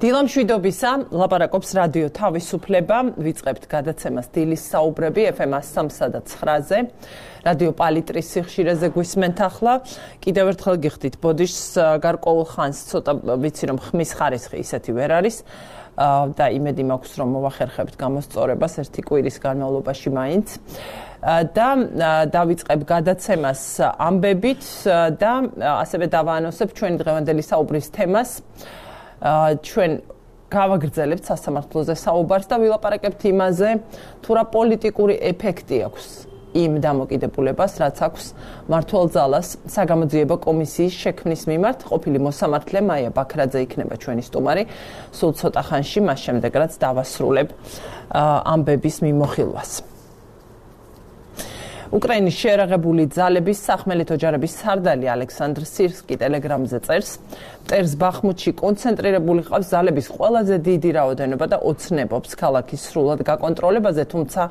დილამშვიდობისა, ლაპარაკობს რადიო თავისუფლება, ვიწყებთ გადაცემას დილის საუბრები FM 103 და 9-ზე. რადიო პალიტრის სიხშირეზე გვისმენთ ახლა. კიდევ ერთხელ გიხდით ბოდიშს გარკვეულ ხანს ცოტა ვიცი რომ ხმის ხარისხი ისეთი ვერ არის და იმედი მაქვს რომ მოვახერხებთ გამოსწორებას ერთი კვირის განმავლობაში მაინც. და დავიწყებ გადაცემას ამბებით და ასევე დავაანონსებ ჩვენი დღევანდელი საუბრის თემას. ჩვენ გავაგრძელებთ სასამართლოზე საუბარს და ვილაპარაკებთ იმაზე, თუ რა პოლიტიკური ეფექტი აქვს იმ დამოკიდებულებას, რაც აქვს მმართველ ძალას საგამოძიებო კომისიის შექმნის მიმართ. ყოფილი მოსამართლე მაია ბაქრაძე იქნება ჩვენი სტუმარი სულ ცოტა ხანში, მას შემდეგ რაც დავასრულებ ამბების მიმოხილვას. უკრაინის შეერაღებული ძალების სახმელეთო ჯარების სარდალი ალექსანდრ სირსკი ტელეგრამზე წერს, მტერს ბახმუთში კონცენტრირებული ყავს ძალების ყველაზე დიდი რაოდენობა და ოცნებობს ქალაქის სრულად გაკონტროლებაზე, თუმცა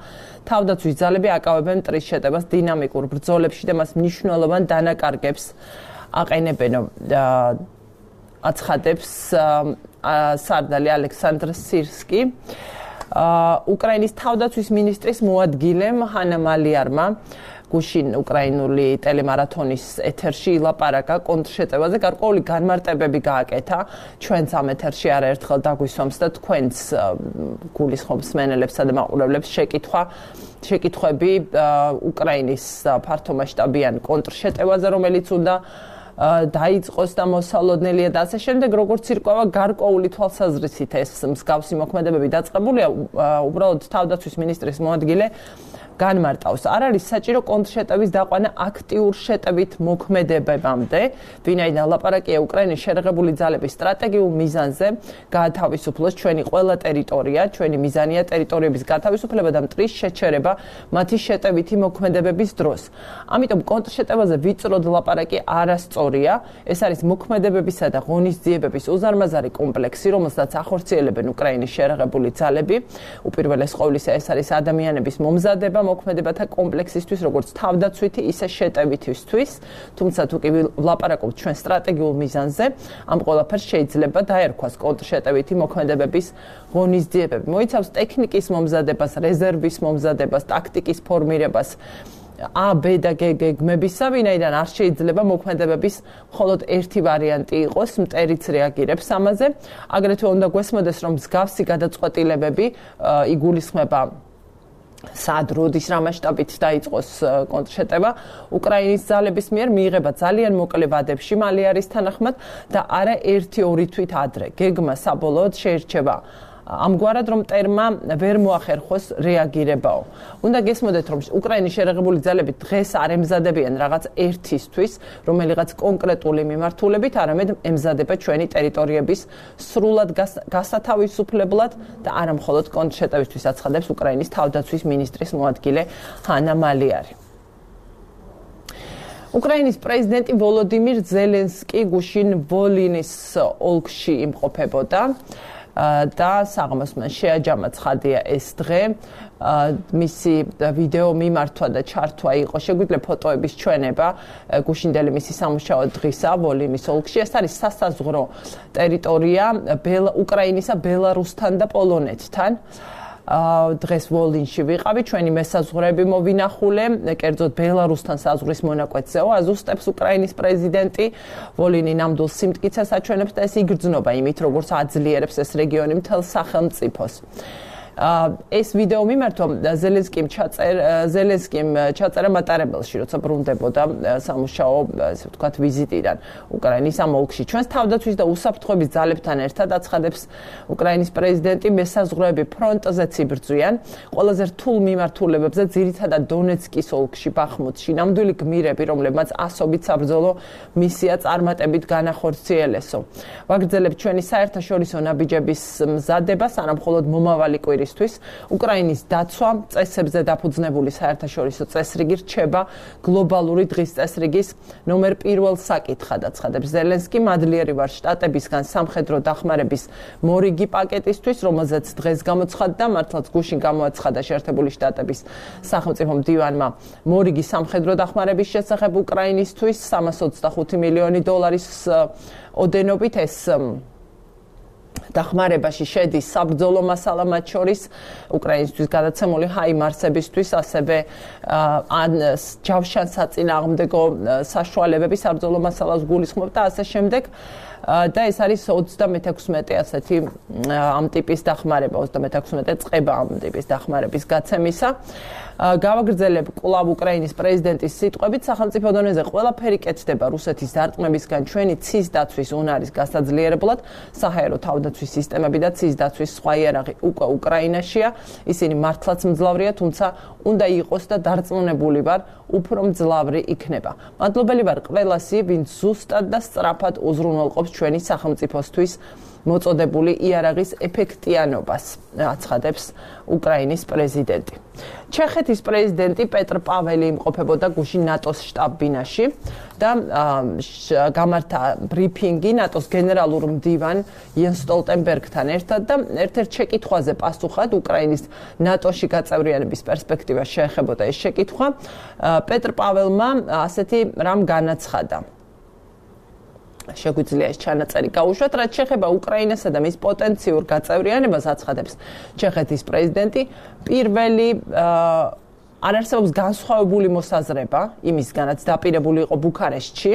თავდაცვის ძალები აკავებენ მტრის შეტევას დინამიკურ ბრძოლებში და მას მნიშვნელოვან დანაკარგებს აყენებენ, აცხადებს სარდალი ალექსანდრ სირსკი. უკრაინის თავდაცვის მინისტრის მოადგილემ ჰანა მალიარმა გუშინ უკრაინული ტელემარათონის ეთერში ილაპარაკა კონტრშეტევაზე, გარკვეული განმარტებები გააკეთა. ჩვენც ამ ეთერში არაერთხელ დაგვისვამს და თქვენც გულისხმობს მსმენელებსა და მაყურებლებს შეკითხვები უკრაინის ფართომასშტაბიან კონტრშეტევაზე, რომელიც უნდა დაიწყოს და მოსალოდნელია და ასე შემდეგ, როგორც ირკვევა გარკვეული თვალსაზრისით ეს მსგავსი მოქმედებები დაწყებულია, უბრალოდ თავდაცვის მინისტრის მოადგილე განმარტავს. არ არის საჭირო კონტრშეტევის დაყვანა აქტიურ შეტევით მოქმედებებამდე, ვინაიდან ლაპარაკია უკრაინის შეერაღებული ძალების სტრატეგიულ მიზანზე გაათავისუფლოს ჩვენი ყველა ტერიტორია, ჩვენი მიზანია ტერიტორიების გათავისუფლება და მტრის შეჩერება მათი შეტევითი მოქმედებების დროს. ამიტომ კონტრშეტევაზე ვიწროდ ლაპარაკი არასწორია, ეს არის მოქმედებებისა და ღონისძიებების უზარმაზარი კომპლექსი, რომელსაც ახორციელებენ უკრაინის შეერაღებული ძალები. უპირველეს ყოვლისა ეს არის ადამიანების მომზადება მოქმედებათა კომპლექსისთვის, როგორც თავდაცვითი, ისე შეტევითისთვის, თუმცა თუ კი ვლაპარაკობთ ჩვენ სტრატეგიულ მიზანზე, ამ ყველაფერს შეიძლება დაერქვას კონტრშეტევითი მოქმედებების ღონისძიებები. მოიცავს ტექნიკის მომზადებას, რეზერვის მომზადებას, ტაქტიკის ფორმირებას, A, B და G გეგმებისა, ვინაიდან არ შეიძლება მოქმედებების მხოლოდ ერთი ვარიანტი იყოს, მტერიც რეაგირებს ამაზე. აგრეთვე უნდა გვესმოდეს, რომ მსგავსი გადაწყვეტილებები იგულისხმება სად როდის რა მასშტაბით დაიწყოს კონტრშეტევა უკრაინის ძალების მიერ მიიღება ძალიან მოკლე ვადებში მალე არის თანახმად და არა 1-2 თვით ადრე. გეგმა საბოლოოდ შეირჩება ამგვარად, რომ მტერმა ვერ მოახერხოს რეაგირებაო. უნდა გესმოდეთ, რომ უკრაინის შეერაღებული ძალები დღეს არ ემზადებიან რაღაც ერთისთვის, რომელიღაც კონკრეტული მიმართულებით, არამედ ემზადება ჩვენი ტერიტორიების სრულად გასათავისუფლებლად და არა მხოლოდ კონტრშეტევისთვის, აცხადებს უკრაინის თავდაცვის მინისტრის მოადგილე ჰანა მალიარი. უკრაინის პრეზიდენტი ვოლოდიმირ ზელენსკი გუშინ ვოლინის ოლქში იმყოფებოდა. და საღამოს მან შეაჯამა ცხადია ეს დღე, მისი ვიდეო მიმართვა და ჩართვა იყო, შეგვიძლია ფოტოების ჩვენება გუშინდელი მისი სამუშაო დღისა ვოლინის ოლქში. ეს არის სასაზღვრო ტერიტორია უკრაინისა ბელარუსთან და პოლონეთთან. დღეს ვოლინში ვიყავი, ჩვენი მესაზღვრეები მოვინახულე, კერძოდ ბელარუსთან საზღვრის მონაკვეთზეო, აზუსტებს უკრაინის პრეზიდენტი. ვოლინი ნამდვილ სიმტკიცეს აჩვენებს და ეს იგრძნობა იმით, როგორც აძლიერებს ეს რეგიონი მთელ სახელმწიფოს. ეს ვიდეო მიმართვა ზელენსკიმ ჩაწერა მატარებელში, როცა ბრუნდებოდა სამუშაო, ესე ვთქვათ, ვიზიტიდან უკრაინის ამ ოლქში. ჩვენს თავდაცვის და უსაფრთხოების ძალებთან ერთად აცხადებს უკრაინის პრეზიდენტი, მესაზღვრეები ფრონტზეც იბრძვიან, ყველაზე რთულ მიმართულებებზე, ძირითადად დონეცკის ოლქში, ბახმუთში, ნამდვილი გმირები, რომლებმაც ასობით საბრძოლო მისია წარმატებით განახორციელესო. ვაგრძელებთ ჩვენი საერთაშორისო ნაბიჯების მზადებას, არა მხოლოდ მომავალი კვირის უკრაინის დაცვა წესებზე დაფუძნებული საერთაშორისო წესრიგი რჩება გლობალური დღის წესრიგის ნომერ 1 საკითხად, აცხადებს ზელენსკი. მადლიერი ვარ შტატებისგან სამხედრო დახმარების მორიგი პაკეტისთვის, რომელზეც დღეს გამოცხადდა, მართლაც გუშინ გამოაცხადა შეერთებული შტატების სახელმწიფო მდივანმა მორიგი სამხედრო დახმარების შესახებ უკრაინისთვის 325 მილიონი დოლარის ოდენობით. ეს დახმარებაში შედის საბრძოლო მასალა მათ შორის უკრაინისთვის გადაცემული ჰაიმარსებისთვის, ასევე ჯავშან საწინააღმდეგო საშუალებები საბრძოლო მასალას გულისხმობ და ასე შემდეგ. და ეს არის 36 ასეთი ამ ტიპის დახმარება, 36 წება ამ ტიპის დახმარების გაცემისა. გავაგრძელებ კვლავ უკრაინის პრეზიდენტის სიტყვებით, სახელმწიფო დონეზე ყველაფერი კეთდება რუსეთის დარტყმებისგან ჩვენი ცის დაცვის უნარის გასაძლიერებლად, საჰაერო თავდაცვის სისტემები და ცის დაცვის სხვა იარაღი უკვე უკრაინაშია. ისინი მართლაც მძლავრია, თუმცა უნდა იყოს და დარწმუნებული ვარ, უფრო მძლავრი იქნება. მადლობელი ვარ ყველასი, ვინც ზუსტად და სწრაფად უზრუნველყოფს ჩვენი სახელმწიფოსთვის მოწოდებული იარაღის ეფექტიანობას, აცხადებს უკრაინის პრეზიდენტი. ჩეხეთის პრეზიდენტი პეტრ პაველი იმყოფებოდა გუშინ ნატოს შტაბ-ბინაში და გამართა ბრიფინგი ნატოს გენერალურ მდივან იენს სტოლტენბერგთან ერთად და ერთ-ერთ შეკითხვაზე პასუხად უკრაინის ნატოში გაწევრიანების პერსპექტივა შეეხებოდა ეს შეკითხვა. პეტრ პაველმა ასეთი რამ განაცხადა. შეგვიძლია ეს ჩანაწერი გაუშვათ, რაც შეეხება უკრაინასა და მის პოტენციურ გაწევრიანებას, აცხადებს ჩეხეთის პრეზიდენტი. პირველი არ არსებობს განსხვავებული მოსაზრება იმისგანაც დაპირებული იყო ბუქარესტში.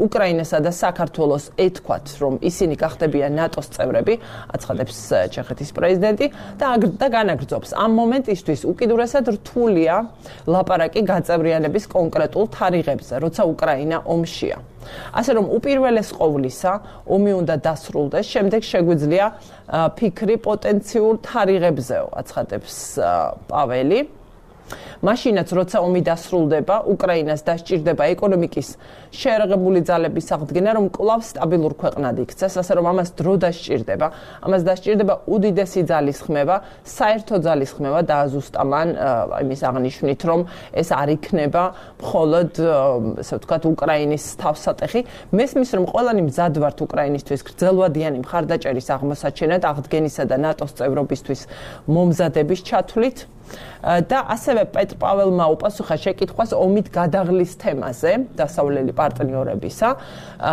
უკრაინასა და საქართველოს ეთქვათ, რომ ისინი გახდებიან ნატოს წევრები, აცხადებს ჩეხეთის პრეზიდენტი და განაგრძობს. ამ მომენტისთვის უკიდურესად რთულია ლაპარაკი გაწევრიანების კონკრეტულ თარიღებზე, როცა უკრაინა ომშია. ასე რომ უპირველეს ყოვლისა, ომი უნდა დასრულდეს, შემდეგ შეგვიძლია ფიქრი პოტენციურ თარიღებზეო, აცხადებს პაველი. მაშინაც როცა ომი დასრულდება, უკრაინას დასჭირდება ეკონომიკის შეერაღებული ძალების აღდგენა, რომ კვლავ სტაბილურ ქვეყნად იქცეს, ასე რომ ამას დრო დასჭირდება. ამას დასჭირდება უდიდესი ძალის ხმევა, საერთო ძალის ხმევა და ზუსტად იმის აღნიშვნით, რომ ეს არ იქნება მხოლოდ, ასე ვთქვათ, უკრაინის თავსატეხი. მესმის, რომ ყველანი მზად ვართ უკრაინისთვის გრძელვადიანი მხარდაჭერის აღმოსაჩენად, აღდგენისა და ნატოს წევრობისთვის მომზადების ჩათვლით. და ასევე პეტრ პაველმა უპასუხა შეკითხვას ომით გადაღლის თემაზე დასავლელი პარტნიორებისა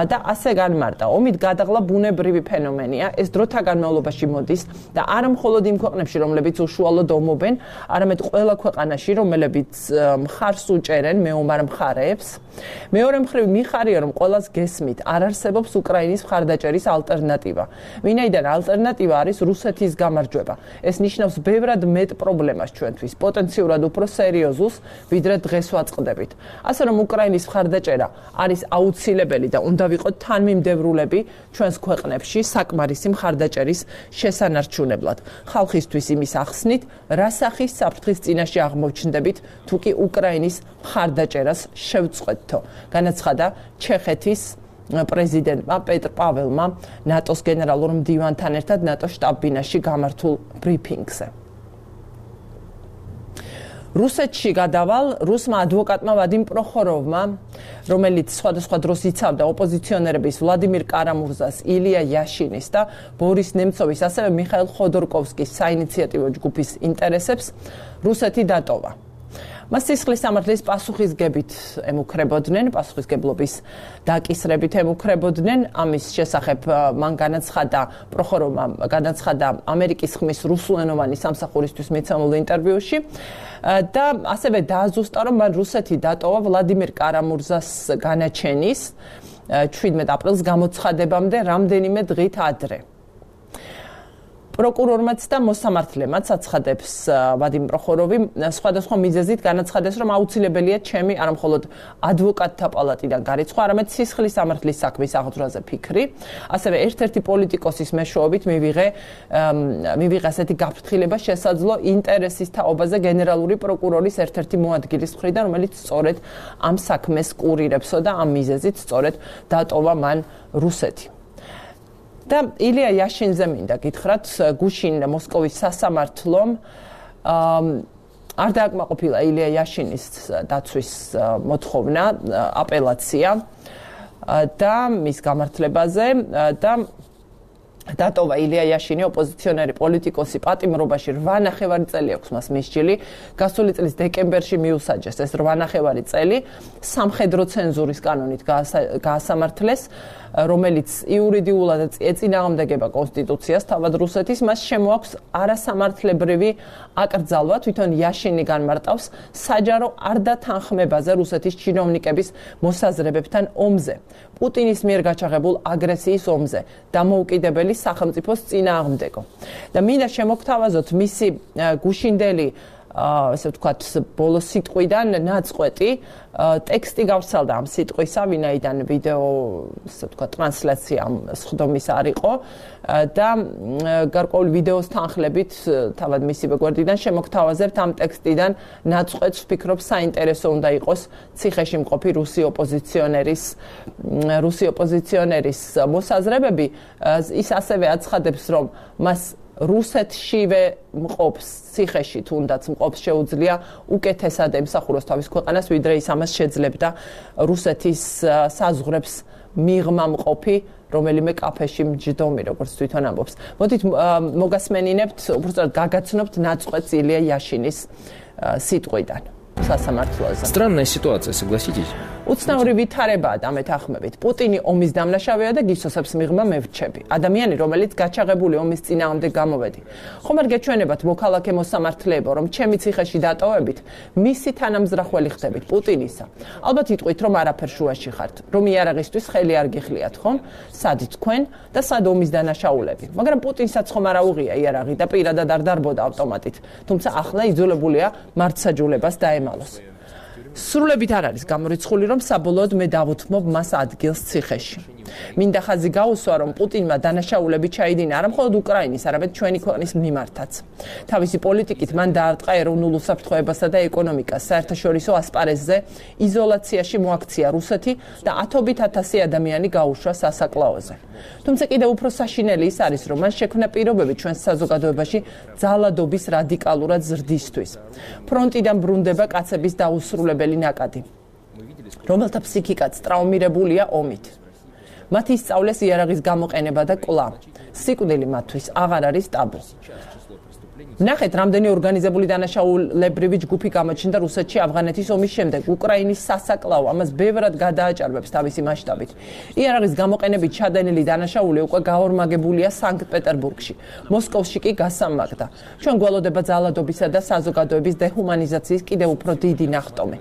და ასე განმარტა. ომით გადაღლა ბუნებრივი ფენომენია, ეს დროთა განმავლობაში მოდის და არა მხოლოდ იმ ქვეყნებში, რომლებიც უშუალოდ ომობენ, არამედ ყველა ქვეყანაში, რომლებიც მხარს უჭერენ მეომარ მხარეებს. მეორე მხრივ მიხარია, რომ ყველას გესმით, არ არსებობს უკრაინის მხარდაჭერის ალტერნატივა. ვინაიდან ალტერნატივა არის რუსეთის გამარჯვება. ეს ნიშნავს ბევრად მეტ პრობლემას ჩვენთვის, პოტენციურად უფრო სერიოზულს, ვიდრე დღეს ვაწყდებით. ასე რომ უკრაინის მხარდაჭერა არის აუცილებელი და უნდა ვიყოთ თანმიმდევრულები ჩვენს ქვეყნებში საკმარისი მხარდაჭერის შესანარჩუნებლად. ხალხისთვის იმის ახსნით, რა სახის საფრთხის წინაშე აღმოჩნდებით, თუ კი უკრაინის მხარდაჭერას შევწყვეტთო, განაცხადა ჩეხეთის პრეზიდენტმა პეტრ პაველმა ნატოს გენერალურ მდივანთან ერთად ნატოს შტაბ-ბინაში გამართულ ბრიფინგზე. რუსეთში გადავალ რუსმა ადვოკატმა ვადიმ პროხოროვმა, რომელიც სხვადასხვა დროს იცავდა ოპოზიციონერების ვლადიმირ კარამურზას, ილია იაშინის და ბორის ნემცოვის, ასევე მიხაილ ხოდორკოვსკის საინიციატივო ჯგუფის ინტერესებს, რუსეთი დატოვა. მას სისხლის სამართლის პასუხისგებით ემუქრებოდნენ, პასუხისგებლობის დაკისრებით ემუქრებოდნენ. ამის შესახებ მან განაცხადა პროხოროვმა განაცხადა ამერიკის ხმის რუსულენოვანი სამსახურისთვის მიცემულ ინტერვიუში და ასევე დააზუსტა, რომ მან რუსეთი დატოვა ვლადიმირ კარამურზას განაჩენის 17 აპრილს გამოცხადებამდე რამდენიმე დღით ადრე. პროკურორმაც და მოსამართლემაც აცხადებს ვადიმ პროხოროვი სხვადასხვა მიზეზით განაცხადეს, რომ აუცილებელია ჩემი არა მხოლოდ ადვოკატთა პალატიდან გარიცხვა, არამედ სისხლის სამართლის საქმის აღძვრაზე ფიქრი. ასევე ერთ-ერთი პოლიტიკოსის მეშვეობით მივიღე ასეთი გაფრთხილება შესაძლო ინტერესის თაობაზე გენერალური პროკურორის ერთ-ერთი მოადგილის მხრიდან, რომელიც სწორედ ამ საქმეს კურირებსო და ამ მიზეზით სწორედ დატოვა მან რუსეთი. და ილია იაშინზე მინდა გითხრათ, გუშინ მოსკოვის სასამართლომ არ დააკმაყოფილა ილია იაშინის დაცვის მოთხოვნა, აპელაცია და მის გამართლებაზე და დატოვა ილია იაშინი ოპოზიციონერი პოლიტიკოსი პატიმრობაში 8 წელი აქვს მას მისჯილი გასული წლის დეკემბერში მიუსაჯეს ეს 8 წელი სამხედრო ცენზურის კანონით გაასამართლეს რომელიც იურიდიულად ეწინააღმდეგება კონსტიტუციას თავად რუსეთის მას შემოაქვს არასამართლებრივი აკრძალვა თვითონ იაშინი განმარტავს საჯარო არ დათანხმებაზე რუსეთის ჩინოვნიკების მოსაზრებებთან ომზე პუტინის მიერ გაჩაღებულ აგრესიის ომზე დამოუკიდებელი სახელმწიფოს წინააღმდეგო და მინდა შემოგთავაზოთ მისი გუშინდელი ასე ვთქვათ ბოლო სიტყვიდან ნაწყვეტი ტექსტი გავსალდა ამ სიტყვისა ვინაიდან ვიდეო ასე ვთქვათ ტრანსლაცია სხდომის არ იყო და გარკვეული ვიდეოს თანხლებით თავად მისივე გვერდიდან შემოგთავაზებთ ამ ტექსტიდან ნაწყვეტს ვფიქრობ საინტერესო უნდა იყოს ციხეში მყოფი რუსი ოპოზიციონერის მოსაზრებები ის ასევე აცხადებს რომ მას რუსეთშივე მყოფს ციხეში თუნდაც მყოფს შეუძლია უკეთესად ემსახუროს თავის ქვეყანას ვიდრე ის ამას შეძლებდა რუსეთის საზღვრებს მიღმა მყოფი რომელიმე კაფეში მჯდომი როგორც თვითონ ამბობს მოდით მოგასმენინებთ უბრალოდ გაგაცნობთ ნაწყვეტს ილია იაშინის სიტყვიდან სასამართლოზე Странная ситуация, согласитесь? უცნაური ვითარებაა და მეთანხმებით. პუტინი ომის დამნაშავეა და გისოსებს მიღმა მე ვრჩები. ადამიანი, რომელიც გაჩაღებული ომის წინააღმდეგ გამოვედი. ხომ არ გეჩვენებათ მოქალაქე მოსამართლეებო, რომ ჩემი ციხეში დატოვებით, მისი თანამზრახველი ხდებით პუტინისა. ალბათ იტყვით, რომ არაფერ შუაში ხართ, რომ იარაღისთვის ხელი არ გიხლიათ, ხომ? სად თქვენ და სად ომის დანაშაულები. მაგრამ პუტინსაც ხომ არ აუღია იარაღი და პირადად არ დარბოდა ავტომატით. თუმცა ახლა იძულებულია მართსაჯულებას დაემალოს. სრულებით არ არის გამორიცხული, რომ საბოლოოდ მე დავუთმობ მას ადგილს ციხეში. მინდა ხაზი გაუსვა, რომ პუტინმა დანაშაულები ჩაიდინა არა მხოლოდ უკრაინის, არამედ ჩვენი ქვეყნის მიმართაც. თავისი პოლიტიკით მან დაარტყა ეროვნულ უსაფრთხოებასა და ეკონომიკას, საერთაშორისო ასპარეზზე იზოლაციაში მოაქცია რუსეთი და ათობით ათასი ადამიანი გაუშვა სასაკლაოზე. თუმცა კიდევ უფრო საშინელი ის არის, რომ მან შექმნა პირობები ჩვენს საზოგადოებაში ძალადობის რადიკალურად ზრდისთვის. ფრონტიდან ბრუნდება კაცების დაუსრულებელი ნაკადი, რომელთა ფსიქიკაც ტრაუმირებულია ომით. მათ ისწავლეს იარაღის გამოყენება და კვლავ. სიკვდილი მათთვის აღარ არის ტაბუ. ნახეთ, რამდენი ორგანიზებული დანაშაულებრივი ჯგუფი გამოჩნდა რუსეთში ავღანეთის ომის შემდეგ. უკრაინის სასაკლაო ამას ბევრად გადააჭარბებს თავისი მასშტაბით. იარაღის გამოყენებით ჩადენილი დანაშაული უკვე გაორმაგებულია სანქტ-პეტერბურგში. მოსკოვში კი გასამაგდა. ჩვენ გველოდება ძალადობისა და საზოგადოების დეჰუმანიზაციის კიდევ უფრო დიდი ნახტომი.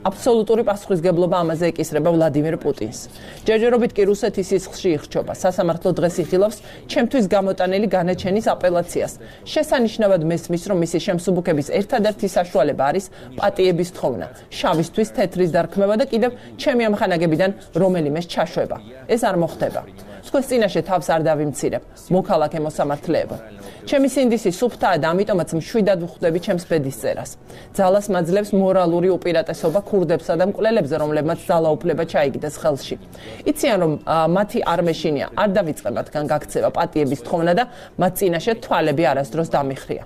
აბსოლუტური პასუხისგებლობა ამაზე ეკისრება ვლადიმერ პუტინს. ჯერჯერობით კი რუსეთის სისხლში იხჩობა. სასამართლო დღეს იხილავს ჩემთვის გამოტანილი განაჩენის აპელაციას. შესანიშნავად მესმის, რომ მისი შემსუბუქების ერთადერთი საშუალება არის პატიების თხოვნა, შავისთვის თეთრის დარქმევა და კიდევ ჩემი ამხანაგებიდან რომელიმეს ჩაშვება. ეს არ მოხდება. თქვენს წინაშე თავს არ დავიმცირებ, მოქალაქე მოსამართლეებო. ჩემი სინდისი სუფთაა და ამიტომაც მშვიდად ვხვდები ჩემს ბედის წერას. ძალას მაძლევს მორალური უპირატესობა ქურდებსა და მკვლელებზე, რომლებმაც ძალაუფლება ჩაიგდეს ხელში. იციან, რომ მათი არ მეშინია, არ დავიწყე მათგან გაქცევა პატიების თხოვნა და მათ წინაშე თვალები არასდროს დამიხრია.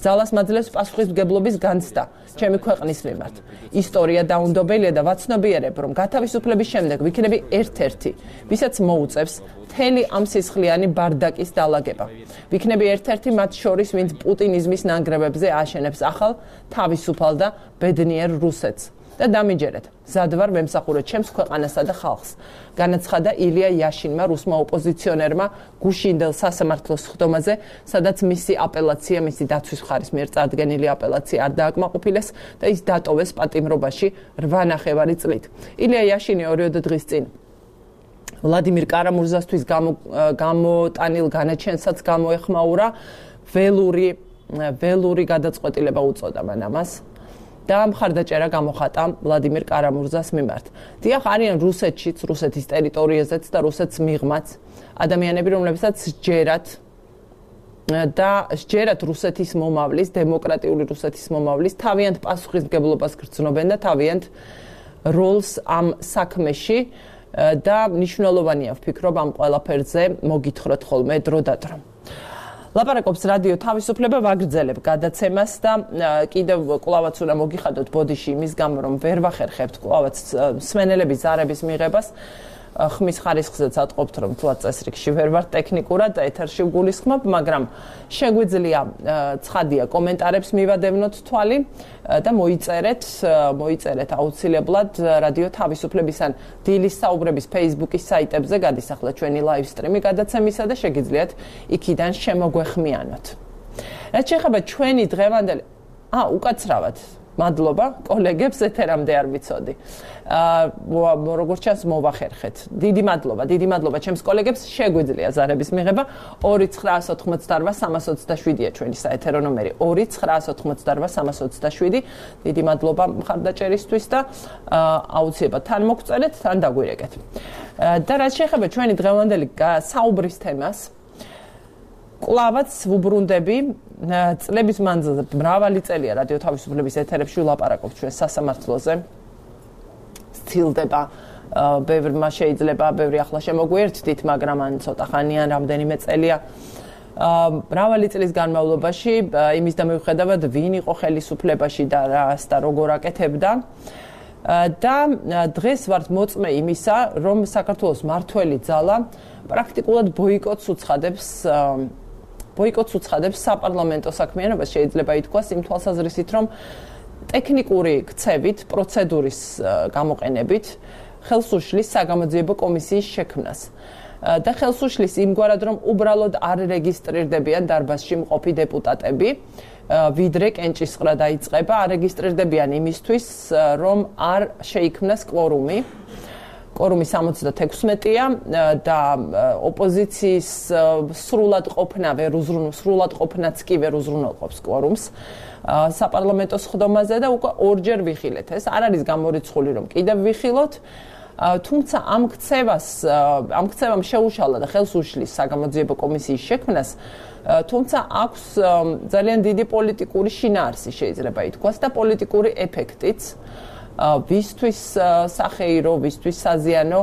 ძალას მაძლევს პასუხისმგებლობის განცდა ჩემი ქვეყნის მიმართ. ისტორია დაუნდობელია და ვაცნობიერებ, რომ გათავისუფლების შემდეგ ვიქნები ერთ-ერთი, ვისაც მოუწევს მთელი ამ სისხლიანი ბარდაკის დალაგება. ვიქნები ერთ-ერთი მათ შორის, ვინც პუტინიზმის ნანგრევებზე აშენებს ახალ თავისუფალ და ბედნიერ რუსეთს. და დამიჯერეთ, მზად ვარ ვემსახურე ჩემს ქვეყანასა და ხალხს. განაცხადა ილია იაშინმა, რუსმა ოპოზიციონერმა გუშინდელ სასამართლოს სხდომაზე, სადაც მისი აპელაცია, მისი დაცვის მხარის მიერ წარდგენილი აპელაცია არ დააკმაყოფილეს და ის დატოვეს პატიმრობაში 8 წლით. ილია იაშინი 2 დღის წინ ვლადიმირ კარამურზასთვის გამოტანილ განაჩენსაც გამოეხმაურა, ველური გადაწყვეტილება უწოდა მან ამას. და მხარდაჭერა გამოხატა ვლადიმირ კარამურზას მიმართ. დიახ, არიან რუსეთშიც, რუსეთის ტერიტორიაზეც და რუსეთს მიღმაც ადამიანები, რომლებსაც სჯერათ რუსეთის მომავლის, დემოკრატიული რუსეთის მომავლის, თავიანთ პასუხისმგებლობას გრძნობენ და თავიანთ როლს ამ საქმეში და მნიშვნელოვანია ვფიქრობ ამ ყველაფერზე მოგითხროთ ხოლმე დრო და დრო. ლაპარაკობს რადიო თავისუფლება ვაგრძელებ გადაცემას და კიდევ კვლავაც უნდა მოგიხადოთ ბოდიში იმის გამო რომ ვერ ვახერხებთ კვლავაც მსმენელების ზარების მიღებას ხმის ხარისხზეც ატყობთ, რომ თუა წესრიგში ვერ ვარ ტექნიკურად ეთერში ვგულისხმობ, მაგრამ შეგვიძლია ცხადია კომენტარებს მივადევნოთ თვალი და მოიწერეთ აუცილებლად რადიო თავისუფლების ან დილის საუბრების Facebook-ის საიტებზე გადის ახლა ჩვენი live stream-ი გადაცემისა და შეგიძლიათ იქიდან შემოგვეხმიანოთ. რაც შეეხება ჩვენი დღევანდელი უკაცრავად მადლობა კოლეგებს ეთერამდე არ ვიცოდი. როგორც ჩანს მოვახერხეთ. დიდი მადლობა ჩემს კოლეგებს შეგვიძლია ზარების მიღება 2988327-ია ჩვენი საეთერო ნომერი 2988327. დიდი მადლობა მხარდაჭერისთვის და აუცილებლად თან მოგწერეთ, თან დაგვირეკეთ. და რაც შეეხება ჩვენი დღევანდელი საუბრის თემას კლავაც ვუბრუნდები წლების მანძილზე მრავალი წელია რადიო თავისუფლების ეთერებში ვლაპარაკობთ ჩვენ სასამართლოზე. ცდილდება ბევრმა შეიძლება ბევრი ახლა შემოგვიერთდით, მაგრამ ან ცოტა ხანიან რამდენიმე წელია მრავალი წლის განმავლობაში იმის და მიუხედავად ვინ იყო ხელისუფლებაში და რას და როგორ აკეთებდა და დღეს ვართ მოწმე იმისა, რომ საქართველოს მართველი ძალა პრაქტიკულად ბოიკოტს უცხადებს საპარლამენტო საქმიანობას, შეიძლება ითქვას იმ თვალსაზრისით, რომ ტექნიკური ქცევით, პროცედურის გამოყენებით ხელს უშლის საგამოძიებო კომისიის შექმნას. და ხელს უშლის იმგვარად, რომ უბრალოდ არ რეგისტრირდებიან დარბაზში მყოფი დეპუტატები, ვიდრე კენჭისყრა დაიწყება, არ რეგისტრირდებიან იმისთვის, რომ არ შეიქმნას კვორუმი. კვორუმი 76-ია და ოპოზიციის სრულად ყოფნაც კი ვერ უზრუნველყოფს კვორუმს საპარლამენტო სხდომაზე და უკვე ორჯერ ვიხილეთ. ეს არ არის გამორიცხული, რომ კიდევ ვიხილოთ, თუმცა ამ ქცევამ შეუშალა და ხელს უშლის საგამოძიებო კომისიის შექმნას, თუმცა აქვს ძალიან დიდი პოლიტიკური შინაარსი შეიძლება ითქვას და პოლიტიკური ეფექტიც. ვისთვის სახეირო, ვისთვის საზიანო,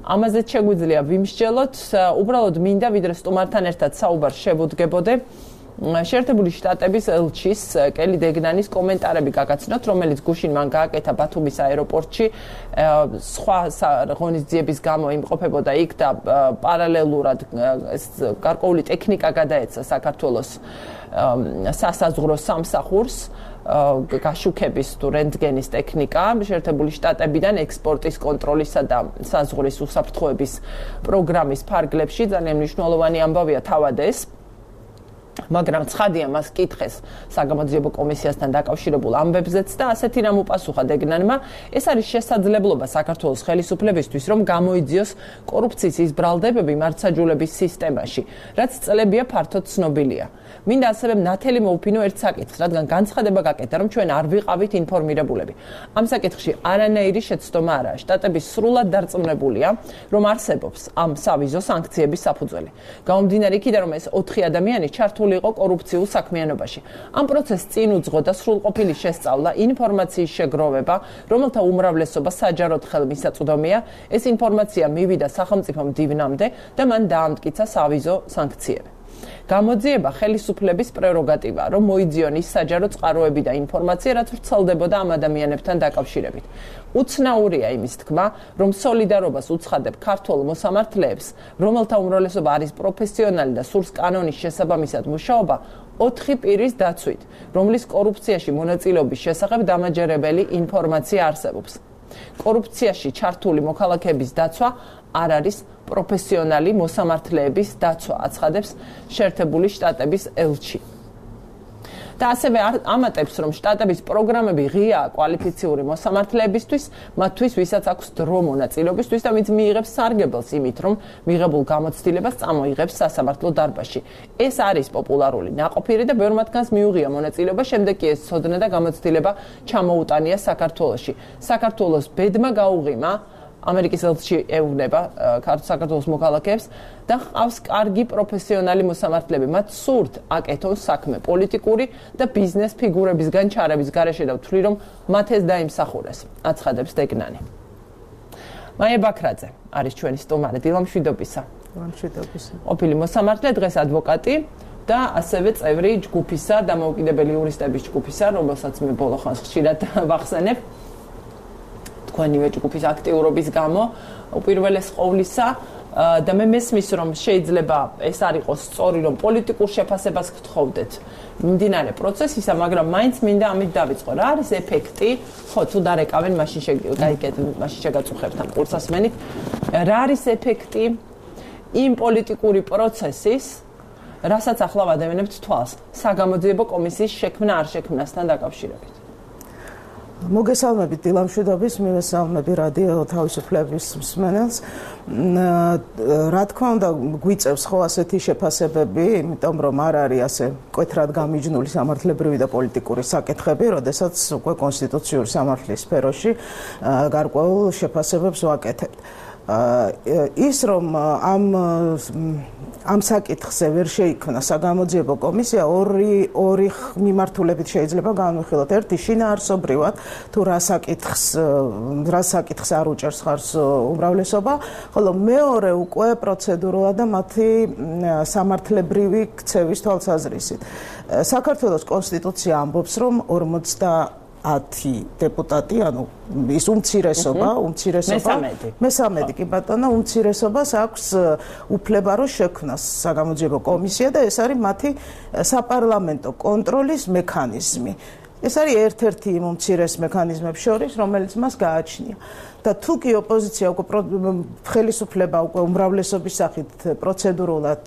ამაზეც შეგვიძლია ვიმსჯელოთ, უბრალოდ მინდა ვიდრე სტუმართან ერთად საუბარს შევუდგებოდე შეერთებული შტატების ელჩის კელი დეგნანის კომენტარები გაგაცნოთ, რომელიც გუშინ მან გააკეთა ბათუმის აეროპორტში, სხვა ღონისძიების გამო იმყოფებოდა იქ და პარალელურად გარკვეული ტექნიკა გადაეცა საქართველოს სასაზღვრო სამსახურს, გაშუქების თუ რენტგენის ტექნიკა შეერთებული შტატებიდან ექსპორტის კონტროლისა და საზღვრის უსაფრთხოების პროგრამის ფარგლებში ძალიან მნიშვნელოვანი ამბავია თავად ეს. მაგრამ ცხადია მას კითხეს საგამოძიებო კომისიასთან დაკავშირებულ ამბებზეც და ასეთი რამ უპასუხა დეგნანმა, ეს არის შესაძლებლობა საქართველოს ხელისუფლებისთვის, რომ გამოიძიოს კორუფციის ის ბრალდებები მართლმსაჯულების სისტემაში, რაც წლებია ფართოდ ცნობილია. მინდა ასევე ნათელი მოუფინო ერთ საკითხს, რადგან განცხადება გაკეთა, რომ ჩვენ არ ვიყავით ინფორმირებულები. ამ საკითხში არანაირი შეცდომა არაა. შტატების სრულად დარწმუნებულია, რომ არსებობს ამ სავიზო სანქციების საფუძველი. გამომდინარე იქიდან, რომ ეს 4 ადამიანი ჩართული იყო კორუფციულ საქმიანობაში. ამ პროცესს წინ უძღო და სრულყოფილი შესწავლა, ინფორმაციის შეგროვება, რომელთა უმრავლესობა საჯაროდ ხელმისაწვდომია, ეს ინფორმაცია მივიდა სახელმწიფო მდივნამდე და მან დაამტკიცა სავიზო სანქციები. გამოძიება ხელისუფლების პრეროგატივაა, რომ მოიძიონ ის საჯარო წყაროები და ინფორმაცია, რაც ვრცელდებოდა ამ ადამიანებთან დაკავშირებით. უცნაურია იმის თქმა, რომ სოლიდარობას უცხადებ ქართულ მოსამართლეებს, რომელთა უმრავლესობა არის პროფესიონალი და სურს კანონის შესაბამისად მუშაობა, 4 პირის დაცვით, რომლის კორუფციაში მონაწილეობის შესახებ დამაჯერებელი ინფორმაცია არსებობს. კორუფციაში ჩართული მოქალაქეების დაცვა არ არის პროფესიონალი მოსამართლეების დაცვა, აცხადებს შეერთებული შტატების ელჩი. და ასევე ამატებს, რომ შტატების პროგრამები ღიაა კვალიფიციური მოსამართლეებისთვის, მათთვის, ვისაც აქვს დრო მონაწილეობისთვის და ვინც მიიღებს სარგებელს იმით, რომ მიღებულ გამოცდილებას წამოიღებს სასამართლო დარბაზში. ეს არის პოპულარული ნაყოფიერი და ბევრ მათგანს მიუღია მონაწილეობა, შემდეგ კი ეს ცოდნა და გამოცდილება ჩამოუტანია საქართველოში. საქართველოს ბედმა გაუღიმა ამერიკის ელჩი ეუბნება საქართველოს მოქალაქეებს და ყავს კარგი პროფესიონალი მოსამართლეები. მათ სურთ აკეთონ საქმე პოლიტიკური და ბიზნეს ფიგურებისგან ჩარევის გარეშე და ვთვლი, რომ მათ ეს დაიმსახურეს, აცხადებს დეგნანი. მაია ბაქრაძე არის ჩვენი სტუმარი, დილამშვიდობისა. ყოფილი მოსამართლე, დღეს ადვოკატი და ასევე წევრი ჯგუფისა და დამოუკიდებელი იურისტების ჯგუფისა, რომელსაც მე ბოლო ხანს ხშირად ვახსენებ. თქვენივე ჯგუფის აქტიურობის გამო უპირველეს ყოვლისა და მე მესმის რომ შეიძლება ეს არ იყოს სწორი რომ პოლიტიკურ შეფასებას გთხოვდეთ მიმდინარე პროცესისა, მაგრამ მაინც მინდა ამით დავიწყო. რა არის ეფექტი? ხო, თუ დარეკავენ, მაშინ შეგაწუხებთ ამ კურსასმენით. რა არის ეფექტი იმ პოლიტიკური პროცესის, რასაც ახლა ვადევნებთ თვალს, საგამოძიებო კომისიის შექმნა არ შექმნასთან დაკავშირებით? მოგესალმებით დილამშვიდობის, მივესალმები რადიო თავისუფლების მსმენელს. რა თქმა უნდა, გვიწევს ხო ასეთი შეფასებები, იმიტომ რომ არ არის ასე მკვეთრად გამიჯნული სამართლებრივი და პოლიტიკური საკითხები, როდესაც უკვე კონსტიტუციური სამართლის სფეროში გარკვეულ შეფასებებს ვაკეთებთ. ის რომ ამ საკითხზე ვერ შეიქმნა საგამოძიებო კომისია ორი მიმართულებით შეიძლება განვიხილოთ. ერთი შინაარსობრივად თუ რა საკითხს არ უჭერს ხარს უმრავლესობა, ხოლო მეორე უკვე პროცედურულად და მათი სამართლებრივი ქცევის თვალსაზრისით. საქართველოს კონსტიტუცია ამბობს, რომ 50 დეპუტატი, ანუ ის უმცირესობა, მესამედი კი ბატონო, უმცირესობას აქვს უფლება რომ შექმნას საგამოძიებო კომისია და ეს არის მათი საპარლამენტო კონტროლის მექანიზმი. ეს არის ერთ-ერთი იმ უმცირეს მექანიზმებს შორის, რომელიც მას გააჩნია. და თუ კი ოპოზიცია უკვე ხელისუფლება უკვე უმრავლესობის სახით პროცედურულად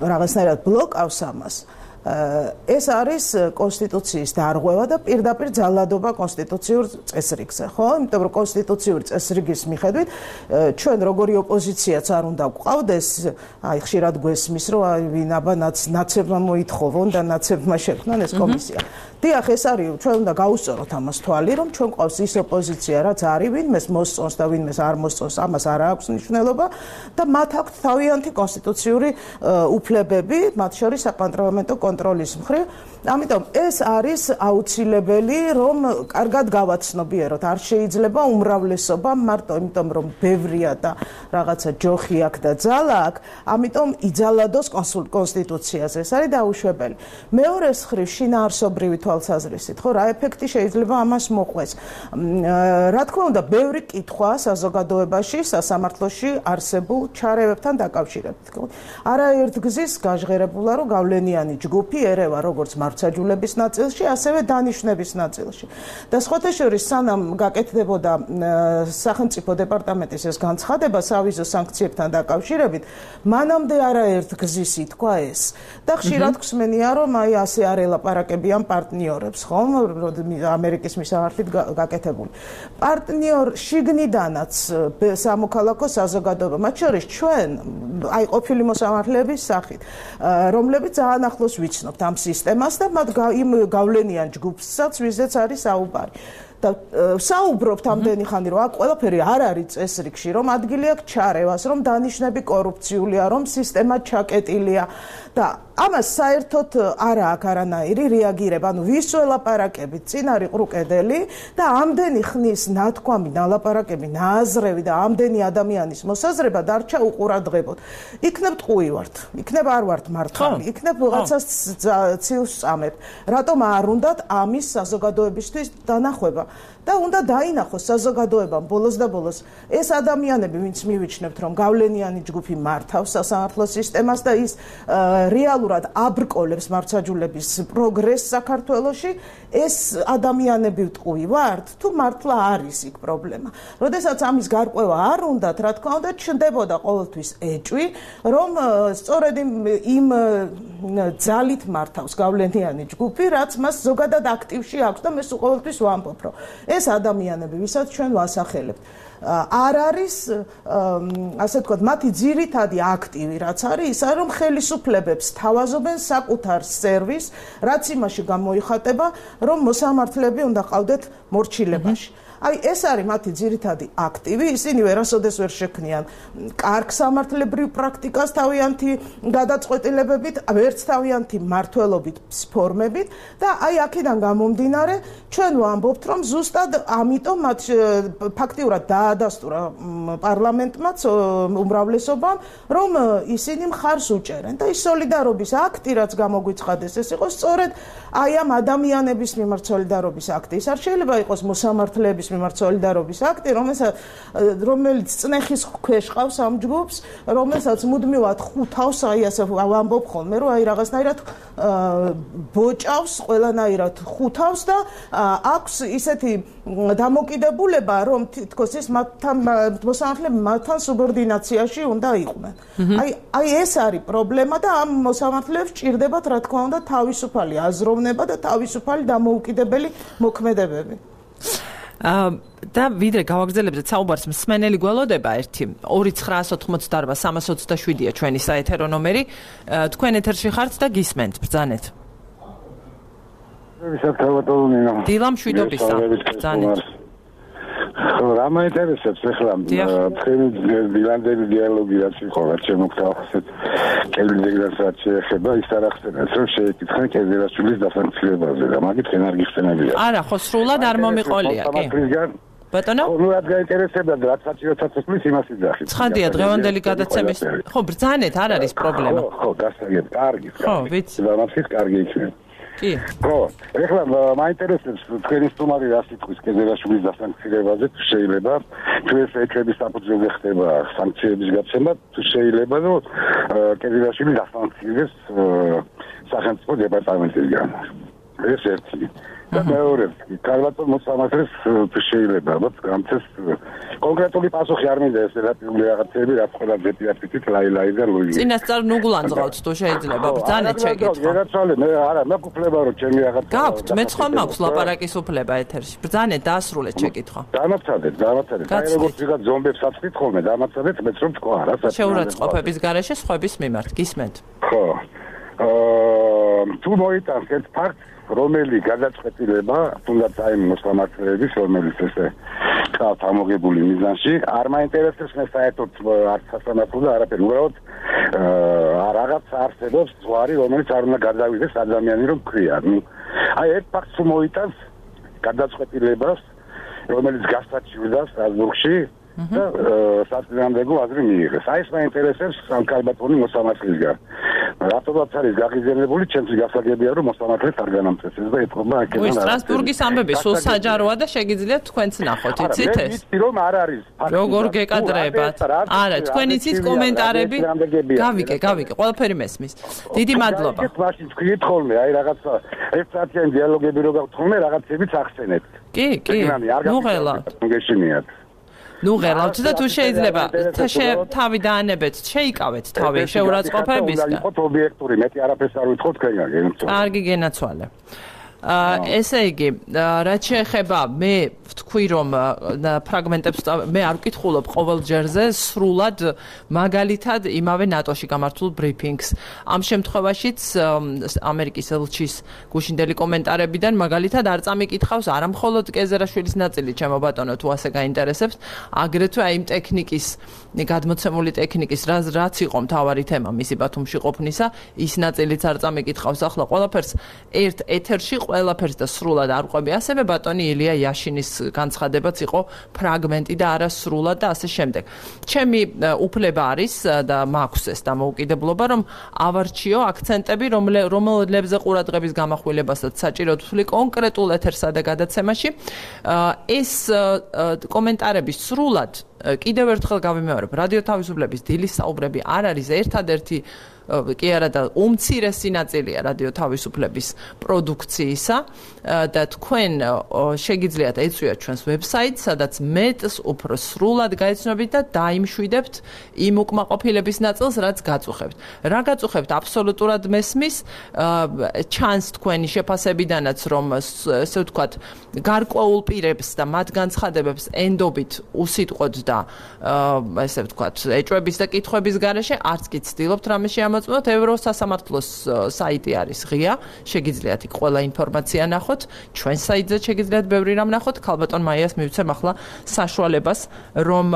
რაღაცნაირად ბლოკავს ამას, ეს არის კონსტიტუციის დარღვევა და პირდაპირ ძალადობა კონსტიტუციურ წესრიგზე, ხო? იმიტომ რომ კონსტიტუციური წესრიგის მიხედვით ჩვენ როგორი ოპოზიციაც არ უნდა გვყავდეს, აი ხშირად გვესმის, რომ აი ვინ აბა ნაცებმა მოითხოვონ და ნაცებმა შექმნან ეს კომისია. დიახ, ეს არის, ჩვენ უნდა გაუსწოროთ ამას თვალი, რომ ჩვენ გვყავს ის ოპოზიცია, რაც არის ვინმეს მოსწონს და ვინმეს არ მოსწონს, ამას არ აქვს მნიშვნელობა და მათ აქვთ თავიანთი კონსტიტუციური უფლებები, მათ შორის საპარლამენტო კონტროლის მხრივ. ამიტომ ეს არის აუცილებელი, რომ კარგად გავაცნობიეროთ. არ შეიძლება უმრავლესობა მარტო იმიტომ, რომ ბევრია და რაღაცა ჯოხი აქვს და ძალა აქვს, ამიტომ იძალადოს კონსტიტუციაზე. ეს არის დაუშვებელი. მეორეს მხრივ შინაარსობრივი თვალსაზრისით, ხო, რა ეფექტი შეიძლება ამას მოყვეს. რა თქმა უნდა, ბევრი კითხვა საზოგადოებაში, სასამართლოში არსებულ ჩარევებთან დაკავშირებით. არაერთგზის გაჟღერებულა, რომ გავლენიანი ჯგუფი ერევა როგორც მართლმსაჯულების ნაწილში, ასევე დანიშვნების ნაწილში. და სხვათა შორის, სანამ გაკეთდებოდა სახელმწიფო დეპარტამენტის ეს განცხადება სავიზო სანქციებთან დაკავშირებით, მანამდე არაერთგზის ითქვა ეს. და ხშირად გვსმენია, რომ აი ასე არ ელაპარაკებიან პარტნიორებს, ხომ, ამერიკის მისამართით გაკეთებული. პარტნიორ შიგნიდანაც სამოქალაქო საზოგადოება, მათ შორის ჩვენ, აი ყოფილი მოსამართლეების სახით, რომლებიც ძალიან ახლოს ვიცნობთ ამ სისტემას და მათ იმ გავლენიან ჯგუფსაც, ვიზეც არის საუბარი. და საუბრობთ ამდენი ხანი, რომ აქ ყველაფერი არ არის წესრიგში, რომ ადგილი აქვს ჩარევას, რომ დანიშნები კორუფციულია, რომ სისტემა ჩაკეტილია და ამას საერთოდ არ აქვს არანაირი რეაგირება. ანუ ვის ველაპარაკებით, წინ არის ყრუკედელი და ამდენი ხნის ნათქვამი, ნალაპარაკები, ნააზრევი და ამდენი ადამიანის მოსაზრება დარჩა უყურადღებოდ. იქნებ ტყუი ვართ, იქნებ არ ვართ მართალი, იქნებ რაღაცას ცილს წამებ. რატომ არ უნდათ ამის საზოგადოებისთვის დანახვება? და უნდა დაინახოს საზოგადოებამ ბოლოს და ბოლოს ეს ადამიანები, ვინც მივიჩნევთ, რომ გავლენიანი ჯგუფი მართავს სასამართლო სისტემას და ის რეალურად აბრკოლებს მართლმსაჯულების პროგრესს საქართველოში, ეს ადამიანები ვტყუი ვართ, თუ მართლა არის იქ პრობლემა. როდესაც ამის გარკვევა არ უნდათ, რა თქმა უნდა, ჩნდებოდა ყოველთვის ეჭვი, რომ სწორედ იმ ძალით მართავს გავლენიანი ჯგუფი, რაც მას ზოგადად აქტივში აქვს და მე ყოველთვის ვამბობ, რომ ეს ადამიანები, ვისაც ჩვენ ვასახელებთ, არ არის, ასე ვთქვათ, მათი ძირითადი აქტივი, რაც არის, ის არის, რომ ხელისუფლებებს თავაზობენ საკუთარ სერვისს, რაც იმაში გამოიხატება, რომ მოსამართლეები უნდა ყავდეთ მორჩილებაში. აი ეს არის მათი ძირითადი აქტივი, ისინი ვერასოდეს ვერ შექმნიან კარგ სამართლებრივ პრაქტიკას თავიანთი გადაწყვეტილებებით, ვერც თავიანთი მმართველობით ფორმებით და აი აქედან გამომდინარე ჩვენ ვამბობთ, რომ ზუსტად ამიტომ მათ ფაქტიურად დაადასტურა პარლამენტმაც უმრავლესობამ, რომ ისინი მხარს უჭერენ და ის სოლიდარობის აქტი, რაც გამოგვიცხადეს, ეს იყო სწორედ აი ამ ადამიანების მიმართ სოლიდარობის აქტი. ის არ შეიძლება იყოს მოსამართლეების მიმართ სოლიდარობის აქტი, რომელიც წნეხის ქვეშ ყავს ამ ჯგუფს, რომელსაც მუდმივად ხუთავს, ასე ვამბობ ხოლმე, რომ რაღაცნაირად ბოჭავს, ყველანაირად ხუთავს და აქვს ისეთი დამოკიდებულება, რომ თითქოს ის მოსამართლეები მათთან სუბორდინაციაში უნდა იყვნენ. აი ეს არის პრობლემა და ამ მოსამართლეებს ჭირდებათ, რა თქმა უნდა, თავისუფალი აზროვნება და თავისუფალი დამოუკიდებელი მოქმედებები. და ვიდრე გავაგრძელებდეთ საუბარს, მსმენელი გველოდება 1-988-327-ია ჩვენი საეთერო ნომერი. თქვენ ეთერში ხართ და გისმენთ, ბრძანეთ. დილა მშვიდობისა, ბრძანეთ. რა მაინტერესებს ახლა თქვენი დილანდელი დიალოგი რაც იყო რაც შემოგთავაზეთ კელვინგრასაც შეეხება ის არ ახსენეთ რომ შეეკითხა კეზერაშვილის დასანქციებაზე და მაგით ხენ არ გიხსენებია არა ხო სრულად არ მომიყოლია კი ბატონო ნუ რაც გაინტერესებდა რაც საჭიროთაც წლის იმას იძახით ცხადია დღევანდელი გადაცემის ხო ბრძანეთ არ არის პრობლემა ხო გასაგებ კარგი ხო ვიცი დამახის კარგი იქნება კი ხო ეხლა მაინტერესებს თქვენი სტუმარი რა სიტყვის კეზერაშვილის დასანქცირებაზე თუ შეიძლება თუ ეს ეკრების საფუძველზე ხდება სანქციების გაცემა თუ შეიძლება რომ კეზერაშვილი დასანქცირდეს სახელმწიფო დეპარტამენტისგან ეს ერთი და მეორე კარლატონ მოსამართლეს თუ შეიძლება ალბათ გამწეს კონკრეტული პასუხი არ მინდა ეს რელატიული რაღაცები რაც ყველა ზეპიაფიტით ლაილაი და ლუი წინასწარ ნუგულანძღავთ თუ შეიძლება ბრძანეთ შეგეთქვა გერაცვალე მე არა მეკუფლება რომ ჩემი რაღაცა გაქვთ მე ხომ მაქვს ლაპარაკის უფლება ეთერში ბრძანეთ დაასრულეთ შეკითხვა დამაცადეთ აი როგორც ვიღაც ზომბებს აცდით ხოლმე დამაცადეთ მეც რომ თქვა რა საერთოდ შეურაცხყოფების გარეშე სხვების მიმართ გისმენთ ხო თუ მოიტანს ერთ ფაქტს რომელი გადაწყვეტილება თუნდაც აი მოსამართლეების რომელიც ესე ყავთ ამოგებული მიზანში არ მაინტერესებს მე საერთოდ არც სასამართლო და არაფერი უბრალოდ რაღაც არსებობს ზღვარი რომელიც არ უნდა გადავიდეს ადამიანი რომ ქვია ნუ აი ერთ ფაქტს თუ მოიტანს გადაწყვეტილებას რომელიც გასაჩივრდა სტრასბურგში და საწინააღმდეგო აზრი მიიღეს აი ეს მაინტერესებს კალბატონი მოსამართლისგან რატომაც არის გაღიზიანებული ჩემთვის გასაგებია რომ მოსამართლეს არ განამწესებს და ეთქობა აქედან სტრასბურგის ამბები სულ საჯაროა და შეგიძლიათ თქვენც ნახოთ იცით ეს ვიცი რომ არ არის როგორ გეკადრებათ არა თქვენ იცით კომენტარები გავიკე ყველაფერი მესმის დიდი მადლობა მაშინ თქვით ხოლმე აი რაღაცა ერთსაათიანი დიალოგები რო გაქვთ ხოლმე რაღაცებიც ახსენეთ კი ნუ ღელავთ გეშინიათ ნუ ღელავთ და თუ შეიძლება თავი დაანებეთ შეიკავეთ თავი შეურაცხყოფებისგან იყოთ ობიექტური მეტი არაფერს არ ვითხოვთ თქვენგან კარგი გენაცვალე ესე იგი რაც შეეხება მე ვთქვი რომ ფრაგმენტებს მე არ ვკითხულობ ყოველ ჯერზე სრულად მაგალითად იმავე ნატოში გამართულ ბრიფინგს ამ შემთხვევაშიც ამერიკის ელჩის გუშინდელი კომენტარებიდან მაგალითად არ წამიკითხავს არა მხოლოდ კეზერაშვილის ნაწილი ჩემო ბატონო თუ ასე გაინტერესებს აგრეთვე აი იმ ტექნიკის გადმოცემული ტექნიკის რაც იყო მთავარი თემა მისი ბათუმში ყოფნისა ის ნაწილიც არ წამიკითხავს ახლა ყველაფერს ერთ ეთერში ყველაფერს და სრულად არ ყვები ასევე ბატონი ილია იაშინის განცხადებაც იყო ფრაგმენტი და არა სრულად და ასე შემდეგ. ჩემი უფლება არის და მაქვს ეს დამოუკიდებლობა რომ ავარჩიო აქცენტები რომელებზე ყურადღების გამახვილებასაც საჭიროდ ვთვლი კონკრეტულ ეთერსა და გადაცემაში ეს კომენტარები სრულად კიდევ ერთხელ გავიმეორებ რადიო თავისუფლების დილის საუბრები არ არის ერთადერთი კი არა და უმცირესი ნაწილია რადიო თავისუფლების პროდუქციისა და თქვენ შეგიძლიათ ეწვიოთ ჩვენს ვებსაიტს სადაც მეტს უფრო სრულად გაიცნობთ და დაიმშვიდებთ იმ უკმაყოფილების ნაწილს რაც გაწუხებთ რა გაწუხებთ აბსოლუტურად მესმის ჩანს თქვენი შეფასებიდანაც რომ ესე ვთქვათ გარკვეულ პირებს და მათ განცხადებებს ენდობით უსიტყვოდ და ესე ვთქვათ ეჭვების და კითხვების გარეშე არც კი ცდილობთ რამე მოწმოთ ევროსასამართლოს საიტი არის ღია შეგიძლიათ იქ ყველა ინფორმაცია ნახოთ ჩვენ საიტზე შეგიძლიათ ბევრი რამ ნახოთ ქალბატონ მაიას მივცემ ახლა საშუალებას რომ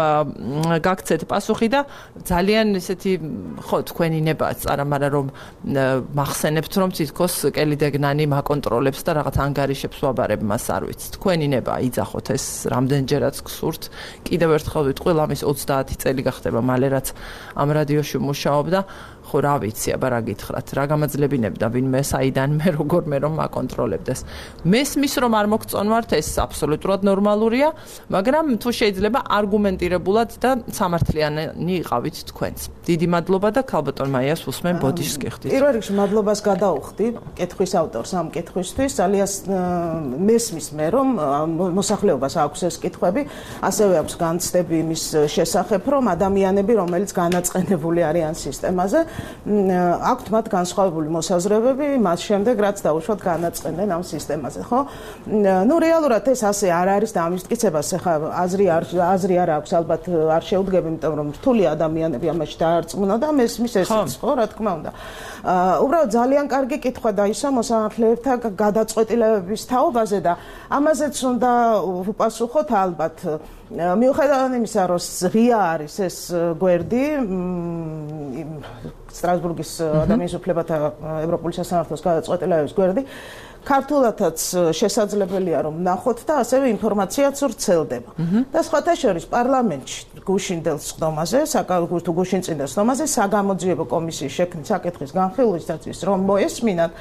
გაგცეთ პასუხი და ძალიან ესეთი ხო თქვენი ნებაა არა მაგრამ რომ მახსენებთ რომ თითქოს კელიდეგნანი მაკონტროლებს და რაღაც ანგარიშებს ვაბარებ მას არ ვიცი თქვენი ნებაა იძახოთ ეს რამდენჯერაც გსურთ კიდევ ერთხელ ვიტყვი ლამის 30 წელი გახდება მალე რაც ამ რადიოში მუშაობდა ხო რა ვიცი, აბა რა გითხრათ, რა გამაძლებინებდა ვინმე საიდან მე როგორ მე რომ აკონტროლებდეს. მესმის რომ არ მოგწონვართ, ეს აბსოლუტურად ნორმალურია, მაგრამ თუ შეიძლება არგუმენტირებულად და სამართლიანი იყავით თქვენც. დიდი მადლობა და ქალბატონ მაიას უსმენ ბოდიშს გიხდით. პირველ რიგში მადლობას გადაუხდი კითხვის ავტორს ამ კითხვისთვის, ძალიან მესმის მე რომ მოსახლეობას აქვს ეს კითხვები, ასევე აქვს განცდები იმის შესახებ, რომ ადამიანები, რომელიც განაწყენებული არიან სისტემაზე, აქვთ მათ განსხვავებული მოსაზრებები, მას შემდეგ რაც დაუშვათ განაწყენენ ამ სისტემაზე, ხო? ნუ რეალურად ეს ასე არ არის და ამის მტკიცებას ახლა აზრი არ აქვს, ალბათ არ შეუდგები, იმიტომ რომ რთული ადამიანები ამაში დაარწმუნა და მესმის ესეც, ხო, რა თქმა უნდა. უბრალოდ ძალიან კარგი კითხვა დაისვა მოსამართლეებთა გადაწყვეტილებების თაობაზე და ამაზეც უნდა უპასუხოთ ალბათ. მიუხედავად იმისა, რომ ღია არის ეს გვერდი სტრასბურგის ადამიანის უფლებათა ევროპული სასამართლოს გადაწყვეტილებების გვერდი, ქართულადაც შესაძლებელია რომ ნახოთ და ასევე ინფორმაციაც ვრცელდება. და სხვათა შორის პარლამენტში გუშინდელ სხდომაზე, თუ გუშინწინდელ სხდომაზე საგამოძიებო კომისიის შექმნის საკითხის განხილვისათვის რომ მოესმინათ,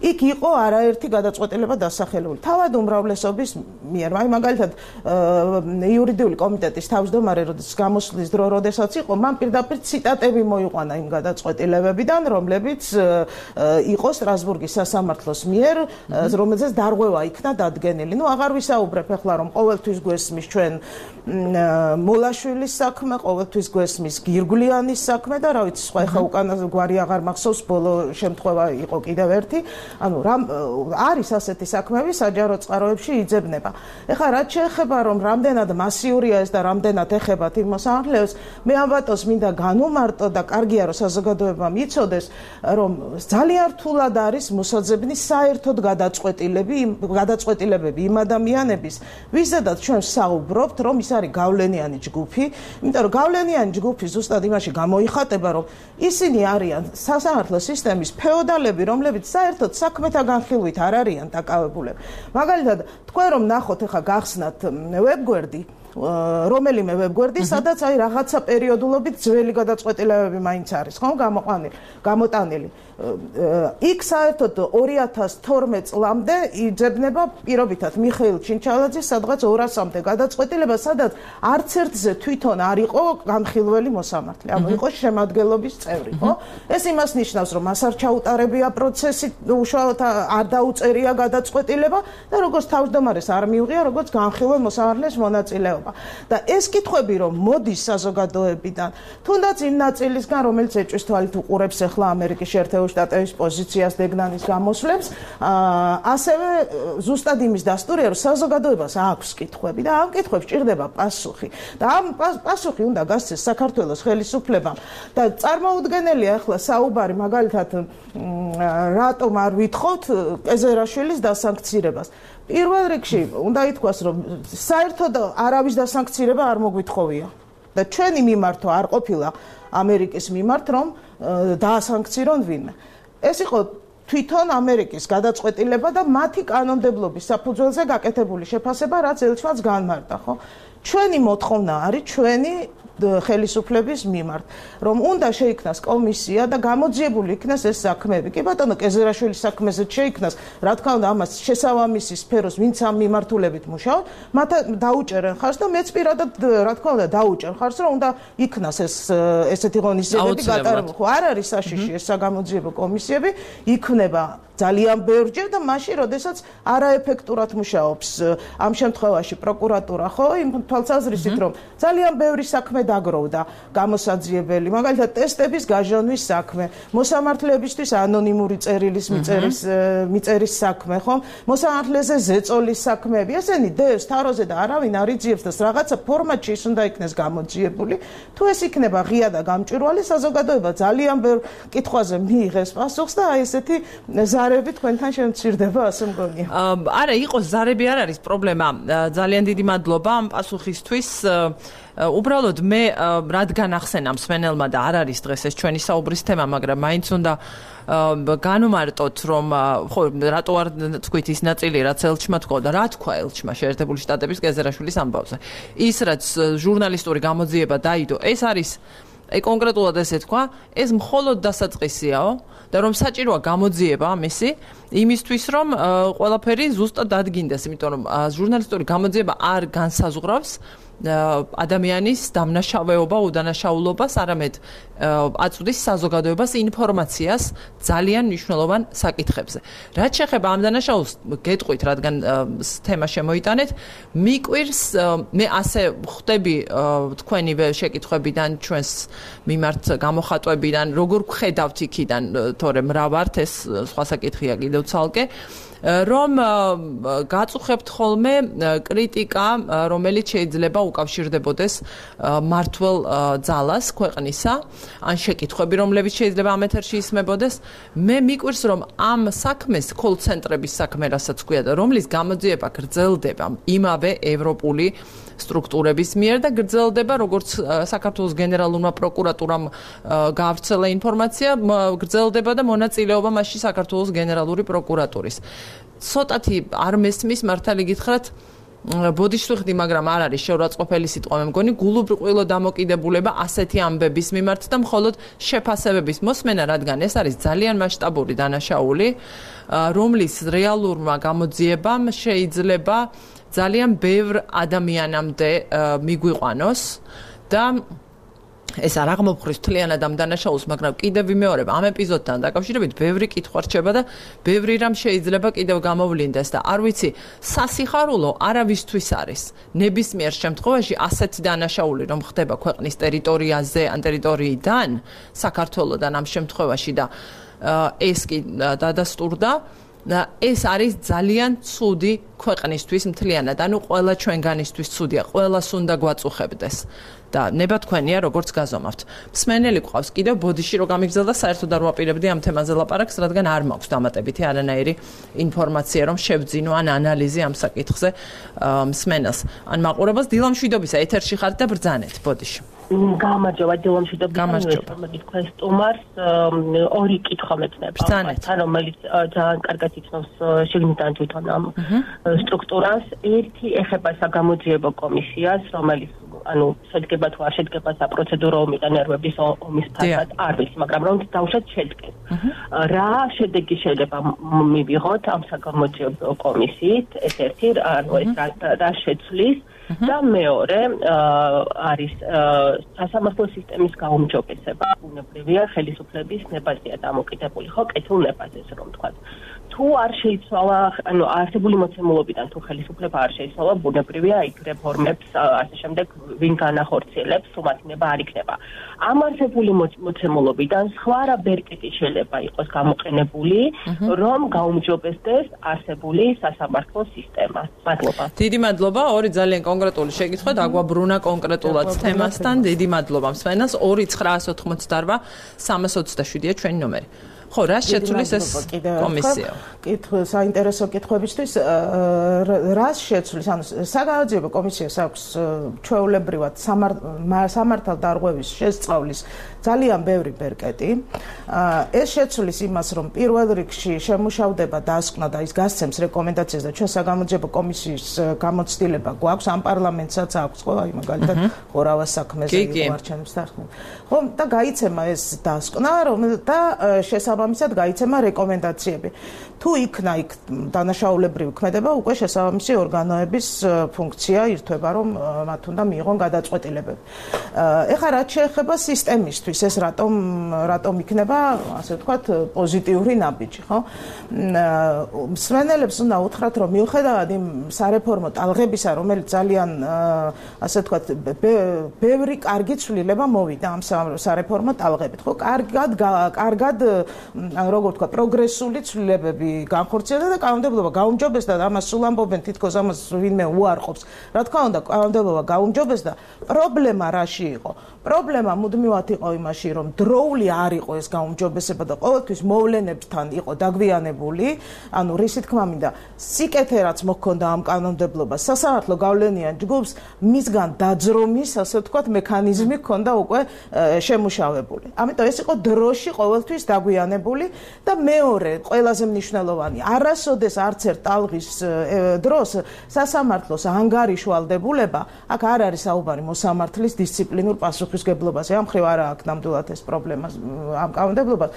იქ იყო არაერთი გადაწყვეტილება დასახელებული. თავად უმრავლესობის მიერ, აი მაგალითად იურიდიული კომიტეტის თავმჯდომარე გამოსვლის დრო, როდესაც იყო, მან პირდაპირ ციტატები მოიყვანა იმ გადაწყვეტილებებიდან, რომლებიც იყო სტრასბურგის სასამართლოს მიერ, რომელზეც დარღვევა იქნა დადგენილი. ნუ აღარ ვისაუბრებ ახლა, რომ ყოველთვის გვესმის ჩვენ მოლაშვილის საქმე, ყოველთვის გვესმის გირგვლიანის საქმე და რა ვიცი, სხვა ახლა უკანა გვარი აღარ მახსოვს, ბოლო შემთხვევა იყო კიდევ ერთი. ანუ არის ასეთი საქმეები საჯარო წყაროებში იძებნება. ეხლა რაც შეეხება რომ რამდენად მასიურია ეს და რამდენად ეხებათ იმ მოსამართლეებს, მე ამბატოს მინდა განუმარტო და კარგია რომ საზოგადოებამ იცოდეს, რომ ძალიან რთულად არის მოსაძებნის საერთოდ გადაწყვეტილებები იმ ადამიანების, ვიზედაც ჩვენ საუბრობთ, რომ ის არის გავლენიანი ჯგუფი, იმიტომ რომ გავლენიანი ჯგუფი ზუსტად იმაში გამოიხატება, რომ ისინი არიან სასამართლო სისტემის ფეოდალები, რომლებიც საერთოდ საქმეთა განხილვით არ არიან დაკავებულები. მაგალითად, თქვენ რომ ნახოთ ახლა გახსნათ ვებგვერდი, რომელიმე ვებგვერდი, სადაც აი რაღაცა პერიოდულობით ძველი გადაწყვეტილებები მაინც არის, ხო, გამოტანილი. იქ საერთოდ 2012 წლამდე იძებნება პირობითად მიხეილ ჩინჩალაძის სადღაც 200-მდე გადაწყვეტილება, სადაც არც ერთზე თვითონ არ იყო განხილველი მოსამართლე, ანუ იყო შემადგენლობის წევრი, ხო? ეს იმას ნიშნავს, რომ მას არ ჩაუტარებია პროცესი, უშუალოდ არ დაუწერია გადაწყვეტილება და როგორც თავმჯდომარეს არ მიუღია, როგორც განხილველ მოსამართლეს მონაწილეობა. და ეს კითხვები რომ მოდის საზოგადოებიდან, თუნდაც იმ ნაწილისგან, რომელიც ეჭვის თვალით უყურებს ახლა ამერიკის შეერთებული შტატების პოზიციას დეგნანის გამოსვლებს, ასევე ზუსტად იმის დასტურია, რომ საზოგადოებას აქვს კითხვები და ამ კითხვებს ჭირდება პასუხი. და ამ პასუხი უნდა გასცეს საქართველოს ხელისუფლებამ. და წარმოუდგენელია ახლა საუბარი მაგალითად რატომ არ ვითხოვთ კეზერაშვილის დასანქცირებას. პირველ რიგში უნდა ითქვას, რომ საერთოდ არავის დასანქცირება არ მოგვითხოვია და ჩვენი მიმართვა არ ყოფილა ამერიკის მიმართ, რომ დაასანქცირონ ვინმე. ეს იყო თვითონ ამერიკის გადაწყვეტილება და მათი კანონმდებლობის საფუძველზე გაკეთებული შეფასება, რაც ელჩმაც განმარტა, ხო? ჩვენი მოთხოვნა არის ჩვენი ხელისუფლების მიმართ, რომ უნდა შეიქმნას კომისია და გამოძიებული იქნას ეს საქმეები. კი ბატონო, კეზერაშვილის საქმეზე შეიქმნას, რა თქმა უნდა, ამას შესაბამისი სფეროს, ვინც ამ მიმართულებით მუშაობს, მათ დაუჭერენ ხარს და მეც პირადად, რა თქმა უნდა, დაუჭერ ხარს, რომ უნდა იქნას ესეთი ღონისძიებები გატარებული. ხო, არ არის საშიში ეს საგამოძიებო კომისიები, იქნება ძალიან ბევრჯერ და მაშინ, როდესაც არაეფექტურად მუშაობს ამ შემთხვევაში პროკურატურა, ხო, იმ თვალსაზრისით, რომ ძალიან ბევრი საქმე დაგროვდა გამოსაძიებელი, მაგალითად ტესტების გაჟონვის საქმე, მოსამართლეებისთვის ანონიმური წერილის მიწერის საქმე, ხო, მოსამართლეზე ზეწოლის საქმეები, ესენი დევს თაროზე და არავინ არ იძიებს და რაღაცა ფორმატში ის უნდა იქნეს გამოძიებული. თუ ეს იქნება ღია და გამჭვირვალე, საზოგადოება ძალიან ბევრ კითხვაზე მიიღეს პასუხს და აი ესეთი ზარები თქვენთან შემცირდება, ასე მგონია. არა, იყოს ზარები არ არის პრობლემა. ძალიან დიდი მადლობა ამ პასუხისთვის. უბრალოდ მე რადგან ახსენა მსმენელმა და არ არის დღეს ეს ჩვენი საუბრის თემა, მაგრამ მაინც უნდა განვმარტოთ, რომ ხო, რატო არ თქვით ის ნაწილი, რაც ელჩმა თქვა და რა თქვა ელჩმა შეერთებული შტატების კეზერაშვილის ამბავზე. ის რაც ჟურნალისტური გამოძიება დაიდო, ეს არის აი კონკრეტულად ესე თქვა, ეს მხოლოდ დასაწყისიაო და რომ საჭიროა გამოძიება ამისი იმისთვის რომ ყველაფერი ზუსტად დადგინდეს, იმიტომ რომ ჟურნალისტური გამოძიება არ განსაზღვრავს ადამიანის დამნაშავეობა, უდანაშაულობას, არამედ აწვდის საზოგადოებას ინფორმაციას ძალიან მნიშვნელოვან საკითხებზე. რაც შეეხება ამ დანაშაულს, გეტყვით, რადგან თემა შემოიტანეთ, მიკვირს, მე ასე ხვდები თქვენივე შეკითხვებიდან, ჩვენს მიმართ გამოხატვებიდან, როგორ გხედავთ იქიდან, თორემ რა ვართ, ეს სხვა საკითხია კიდევ ცალკე. რომ გაწუხებთ ხოლმე კრიტიკა, რომელიც შეიძლება უკავშირდებოდეს მართლ ძალას ქვეყნისა, ან შეკითხვები, რომლებიც შეიძლება ამ ეთერში ისმებოდეს, მე მიკვირს, რომ ამ საქმეს კოლ-ცენტრების საქმე, რასაც ქვია და რომლის გამოძიება გრძელდება იმავე ევროპული სტრუქტურების მიერ და გრძელდება, როგორც საქართველოს გენერალურმა პროკურატურამ გაავრცელა ინფორმაცია, გრძელდება და მონაწილეობა მასში საქართველოს გენერალური პროკურატურის. ცოტათი არ მესმის მართალი გითხრათ, ბოდიშვილდი, მაგრამ არ არის შეურაცხყოფელი სიტყვა, მე მგონი, გულუბრყვილო დამოკიდებულება ასეთი ამბების მიმართ და მხოლოდ შეფასებების მოსმენა, რადგან ეს არის ძალიან მასშტაბური დანაშაული, რომლის რეალურმა გამოძიებამ შეიძლება ძალიან ბევრ ადამიანამდე მიგვიყვანოს და ეს არ აღმოფხრის მთლიანად ამ დანაშაულს, მაგრამ კიდევ ვიმეორებ ამ ეპიზოდთან დაკავშირებით ბევრი კითხვა რჩება და ბევრი რამ შეიძლება კიდევ გამოვლინდეს და არ ვიცი, სასიხარულო არავისთვის არის ნებისმიერ შემთხვევაში ასეთი დანაშაული რომ ხდება ქვეყნის ტერიტორიაზე ან ტერიტორიიდან საქართველოსთან ამ შემთხვევაში და ეს კი დადასტურდა ეს არის ძალიან ცუდი ქვეყნისთვის მთლიანად, ანუ ყველა ჩვენგანისთვის ცუდია, ყველას უნდა გვაწუხებდეს. და ნება თქვენია როგორც გაზომავთ. მსმენელი გვყავს კიდევ ბოდიში რო გამიგზელდა საერთოდ არ ვაპირებდი ამ თემაზე ლაპარაკს, რადგან არ მაქვს დამატებითი არანაირი ინფორმაცია რომ შევძინო ან ანალიზი ამ საკითხზე მსმენელს. ან მაყურებელს დილამშვიდობისა ეთერში ხართ და ბრძანეთ ბოდიში. გამარჯობა დილამშვიდობისა. თქვენ სტუმარს ორი კითხვა მეცნება. თან რომელიც ძალიან კარგად იცნობს შეგნიდან თვითონ ამ სტრუქტურას. ერთი ეხება საგამოძიებო კომისიას, რომელიც ანუ შედგება თუ არ შედგება საპროცედურო ომის ფასად არ ვიცი, მაგრამ რომ დავუშვათ შედგეს. რა შედეგი შეიძლება მივიღოთ ამ საგამოძიებო კომისიით? ეს ერთი, ანუ ეს რა შეცვლის და მეორე არის სასამართლო სისტემის გაუმჯობესება, ბუნებრივია ხელისუფლების ნებაზია დამოკიდებული, ხო, კეთილ ნებაზეს რომ ვთქვათ. თუ არ შეიცვალა, ანუ არსებული მოცემულობიდან თუ ხელისუფლება არ შეიცვალა, ბუნებრივია იქ რეფორმებს ასე შემდეგ ვინ განახორციელებს, უმათინება არ იქნება. ამ არსებული მოცემულობიდან სხვა რა ბერკეტი შეიძლება იყოს გამოყენებული, რომ გაუმჯობესდეს არსებული სასამართლო სისტემა. მადლობა. დიდი მადლობა, ორი ძალიან კონკრეტული შეკითხვა, დაგვაბრუნა კონკრეტულად თემასთან. დიდი მადლობა მსმენელს. 2988 327-ია ჩვენი ნომერი. ხო, რა შეცვლის ეს კომისია? საინტერესო კითხვებისთვის რა შეცვლის? ანუ საგამოძიებო კომისიას აქვს ჩვეულებრივად სამართალ დარღვევის შესწავლის ძალიან ბევრი ბერკეტი. ეს შეცვლის იმას, რომ პირველ რიგში შემუშავდება დასკვნა და ის გასცემს რეკომენდაციას და ჩვენ საგამოძიებო კომისიის გამოცდილება გვაქვს, ამ პარლამენტსაც აქვს, ხო, აი მაგალითად ხორავას საქმეზე არჩევნებს დახმარება. ხო, და გაიცემა ეს დასკვნა, და შესაბამისად გაიცემა რეკომენდაციები. თუ იქნა იქ დანაშაულებრივი ქმედება, უკვე შესაბამისი ორგანოების ფუნქცია ირთვება, რომ მათ უნდა მიიღონ გადაწყვეტილებები. ეხლა რაც შეეხება სისტემისთვის, ეს რატომ იქნება, ასე ვთქვათ, პოზიტიური ნაბიჯი, ხო? მსმენელებს უნდა უთხრათ, რომ მიუხედავად იმ სარეფორმო ტალღებისა, რომელიც ძალიან, ასე ვთქვათ, ბევრი კარგი ცვლილება მოვიდა ამ სარეფორმო ტალღებით, ხო? კარგად, როგორ ვთქვათ, პროგრესული ცვლილებები განხორციელდა და კანონმდებლობა გაუმჯობესდა და ამას სულ ამბობენ, თითქოს ამას ვინმე უარყოფს. რა თქმა უნდა, კანონმდებლობა გაუმჯობესდა. პრობლემა რაში იყო? პრობლემა მუდმივად იყო იმაში, რომ დროული არ იყო ეს გაუმჯობესება და ყოველთვის მოვლენებთან იყო დაგვიანებული, ანუ რისი თქმა მინდა, სიკეთე რაც მოქონდა ამ კანონმდებლობას, სასამართლო გავლენიან ჯგუფს მისგან დაძრომის, ასე ვთქვათ, მექანიზმი ჰქონდა უკვე შემუშავებული. ამიტომ ეს იყო დროში ყოველთვის დაგვიანებული. განვითარებული და მეორე ყველაზე მნიშვნელოვანი არასოდეს არც ერთ ტალღის დროს სასამართლოს ანგარიშვალდებულება აქ არ არის საუბარი მოსამართლის დისციპლინურ პასუხისგებლობაზე ამ ხრივ არა აქვს ნამდვილად ეს პრობლემა ამ კანონმდებლობას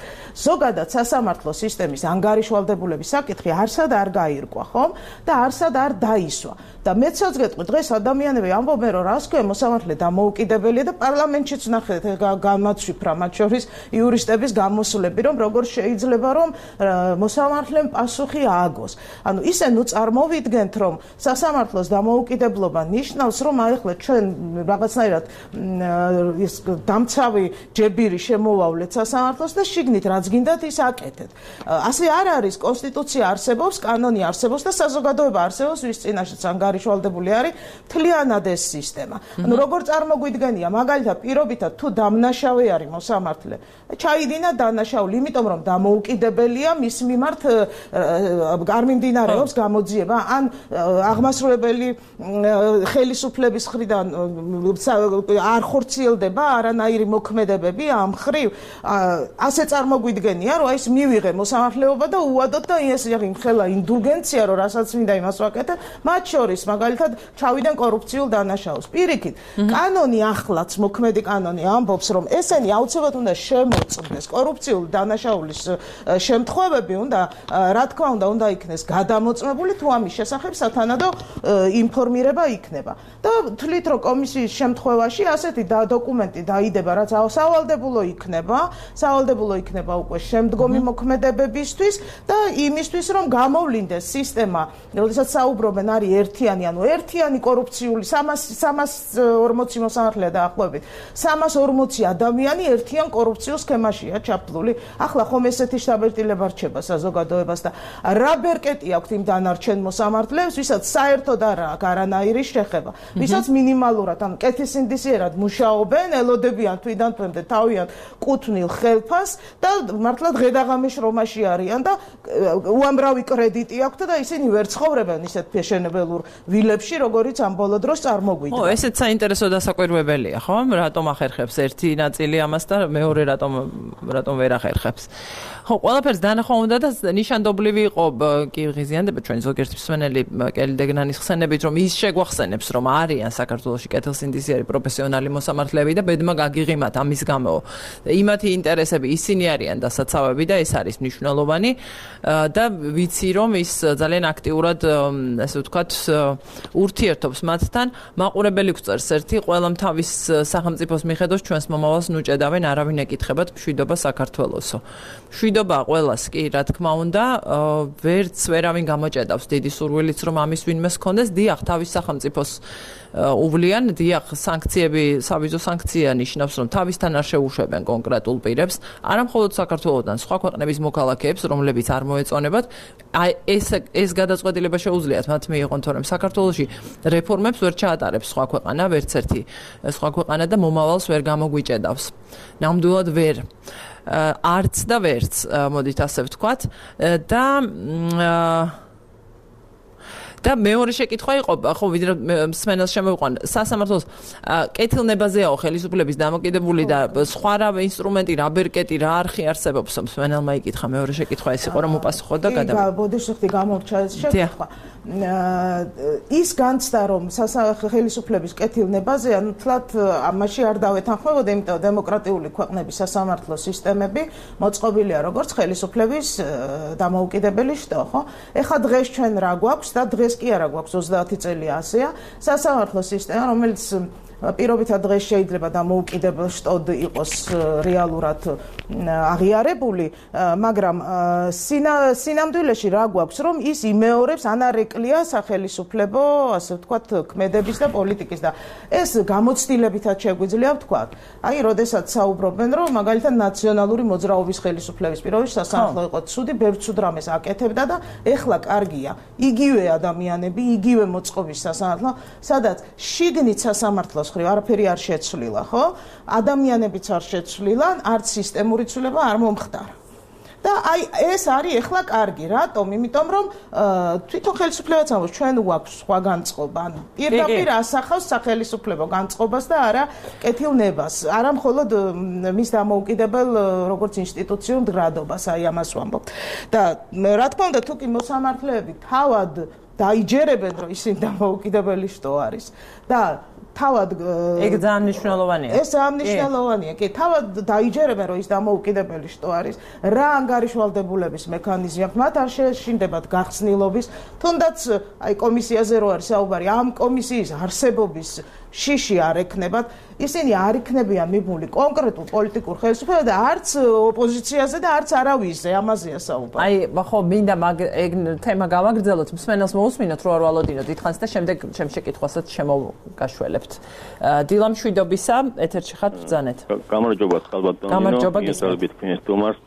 ზოგადად სასამართლოს სისტემის ანგარიშვალდებულების საკითხი არსად არ გაირკვა ხომ და არსად არ დაისვა და მეცაც გეტყვი დღეს ადამიანები ამბობენ რომ რას ქვია მოსამართლე დამოუკიდებელია და პარლამენტშიც ნახეთ გამაცვიფრა მათ შორის იურისტების გამოსვლები რომ როგორ შეიძლება რომ მოსამართლემ პასუხი ააგოს ანუ ისე ნუ წარმოვიდგენთ რომ სასამართლოს დამოუკიდებლობა ნიშნავს რომ აი ახლა ჩვენ რაღაცნაირად ის დამცავი ჯებირი შემოვავლეთ სასამართლოს და შიგნით რაც გინდათ ის აკეთეთ ასე არ არის კონსტიტუცია არსებობს კანონი არსებობს და საზოგადოება არსებობს ვის წინაშეც ანგარიშვალდებული არის მთლიანად ეს სისტემა ანუ როგორ წარმოგვიდგენია მაგალითად პირობითად თუ დამნაშავე არის მოსამართლე ჩაიდინა დანაშაული იმიტომ რომ დამოუკიდებელია მის მიმართ არ მიმდინარეობს გამოძიება ან აღმასრულებელი ხელისუფლების მხრიდან არ ხორციელდება არანაირი მოქმედებები ამ ხრივ ასე წარმოგვიდგენია რომ ეს მივიღე მოსამართლეობა და უადოთ და ეს ხელა ინდულგენცია რომ რასაც მინდა იმას ვაკეთებ მათ შორის მაგალითად ჩავიდან კორუფციულ დანაშაულს პირიქით კანონი ახლაც მოქმედი კანონი ამბობს რომ ესენი აუცილებლად უნდა შემოწმდეს კორუფციულ დანაშაულის შემთხვევები უნდა რა თქმა უნდა იქნეს გადამოწმებული თუ ამის შესახებ სათანადო ინფორმირება იქნება და თვლით რომ კომისიის შემთხვევაში ასეთი დოკუმენტი დაიდება რაც სავალდებულო იქნება უკვე შემდგომი მოქმედებებისთვის და იმისთვის რომ გამოვლინდეს სისტემა როდესაც საუბრობენ არის ერთიანი ანუ ერთიანი კორუფციული 340 მოსამართლეა დაახლოებით 340 ადამიანი ერთიან კორუფციულ სქემაშია ჩაფლული ახლა ხომ ესეთი შთაბეჭდილება რჩება საზოგადოებას და რა ბერკეტი აქვს იმ დანარჩენ მოსამართლეებს ვისაც საერთოდ არ აქვს არანაირი შეხება ვისაც მინიმალურად ან კეთილსინდისიერად მუშაობენ ელოდებიან თვიდან თვემდე თავიანთ კუთვნილ ხელფას და მართლა დღე-დაღამის შრომაში არიან და უამრავი კრედიტი აქვთ და ისინი ვერ ცხოვრობენ ისეთ ფეშენებელურ ვილებში როგორიც ამ ბოლო დროს წარმოგვიდგა ესეც საინტერესო დასაკვირვებელია ხო რატომ ახერხებს ერთი ნაწილი ამას და მეორე რატომ ვერ ახერხებს ხო ყველაფერს დანახვა უნდა და ნიშანდობლივი იყო კი ღიზიანდება ჩვენ ზოგიერთი მსმენელი კელი დეგნანის ხსენებით რომ ის შეგვახსენებს რომ არიან საქართველოში კეთილსინდისიერი პროფესიონალი მოსამართლეები და ბედმა გაგიღიმათ ამის გამო იმათი ინტერესები ისინი არიან დასაცავები და ეს არის მნიშვნელოვანი და ვიცი რომ ის ძალიან აქტიურად ასე ვთქვათ ურთიერთობს მათთან მაყურებელი გვწერს ერთი ყველამ თავის სახელმწიფოს მიხედოს ჩვენს მომავალს ნუჭედავენ არავინ ეკითხებათ მშვიდობა საქართველოსო მშვიდობა ყველას კი რა თქმა უნდა ვერც ვერავინ გამოჭედავს დიდი სურვილიც რომ ამის ვინმე ჰქონდეს დიახ თავის სახელმწიფოს უვლიან დიახ სანქციები სავიზო სანქცია ნიშნავს რომ თავისთან არ შეუშვებენ კონკრეტულ პირებს არა მხოლოდ საქართველოსთან სხვა ქვეყნების მოქალაქეებს რომლებიც არ მოეწონებათ ეს გადაწყვეტილება შეუძლიათ მათ მიიღონ თორემ საქართველოში რეფორმებს ვერ ჩაატარებს სხვა ქვეყანა ვერც ერთი სხვა ქვეყანა და მომავალს ვერ გამოგვიჭედავს ნამდვილად ვერ არც და ვერც მოდით ასე ვთქვათ და მეორე შეკითხვა იყო ხო ვიდრე მსმენელს შემოვიყვან სასამართლოს კეთილნებაზეაო ხელისუფლების დამოკიდებული და სხვა რა ინსტრუმენტი რა ბერკეტი რა არხი არსებობს მსმენელმა იკითხა მეორე შეკითხვა ეს იყო რომ უპასუხო და გადავიდა ბოდიშხტი გამორჩა ეს შეკითხვა ის განცდა რომ ხელისუფლების კეთილნებაზე ანუ თლათ ამაში არ დავეთანხმებოდა იმიტომ დემოკრატიული ქვეყნების სასამართლო სისტემები მოწყობილია როგორც ხელისუფლების დამოუკიდებელი შტო ხო ეხლა დღეს ჩვენ რა გვაქვს და დღეს კი არა გვაქვს 30 წელი ასეა სასამართლო სისტემა რომელიც პირობითად დღეს შეიძლება დამოუკიდებელ შტოდ იყოს რეალურად აღიარებული მაგრამ სინამდვილეში რა გვაქვს რომ ის იმეორებს ან არ ეკლია სახელისუფლებო ასე ვთქვათ ქმედების და პოლიტიკის და ეს გამოცდილებითაც შეგვიძლია ვთქვათ აი როდესაც საუბრობენ რომ მაგალითად ნაციონალური მოძრაობის ხელისუფლების პირობებში სასამართლო იყო ცუდი ბევრ ცუდ რამეს აკეთებდა და ეხლა კარგია იგივე ადამიანები იგივე მოწყობის სასამართლო სადაც შიგნით სასამართლო არაფერი არ შეცვლილა, ხო? ადამიანებიც არ შეცვლილა, არც სისტემური ცვლილება არ მომხდარა. და აი ეს არის ეხლა კარგი, რატომ? იმიტომ რომ თვითონ ხელისუფლებაც ამბობს, ჩვენ გვაქვს სხვა განწყობა, ანუ პირდაპირ ასახავს სახელმწიფო განწყობას და არა კეთილნებას, არა მხოლოდ მის დამოუკიდებელ როგორც ინსტიტუციურ მდგრადობას, აი ამას ვამბობ. და რა თქმა უნდა, თუ კი მოსამართლეები თავად დაიჯერებენ, რომ ისინი დამოუკიდებელი შტო არის და თავად ეგ ძალიან მნიშვნელოვანია. ეს ძალიან მნიშვნელოვანია. კი, თავად დაიჯერებენ, რომ ის დამოუკიდებელი შტო არის. რა ანგარიშვალდებულების მექანიზმი აქვს? მათ არ შეეშინდებათ გახსნილობის, თუნდაც აი კომისიაზე რო არის საუბარი, ამ კომისიის არსებობის შიში არ ექნებათ. ისინი არ იქნებიან მიბმული კონკრეტულ პოლიტიკურ ხელისუფლებაზე და არც ოპოზიციაზე და არც არავისზე, ამაზეა საუბარი. აი, ხო, მინდა ეგ თემა გავაგრძელოთ, მსმენელს მოусმინოთ, რო არ ვალოდინოთ დიდხანს და შემდეგ ჩემ შეკითხვასაც შემოგაშველებთ. დილა მშვიდობისა, ეთერში ხართ, ბრძანეთ. გამარჯობა, ხალბატონო. გამარჯობა, გესწრებით თქვენს თომარს.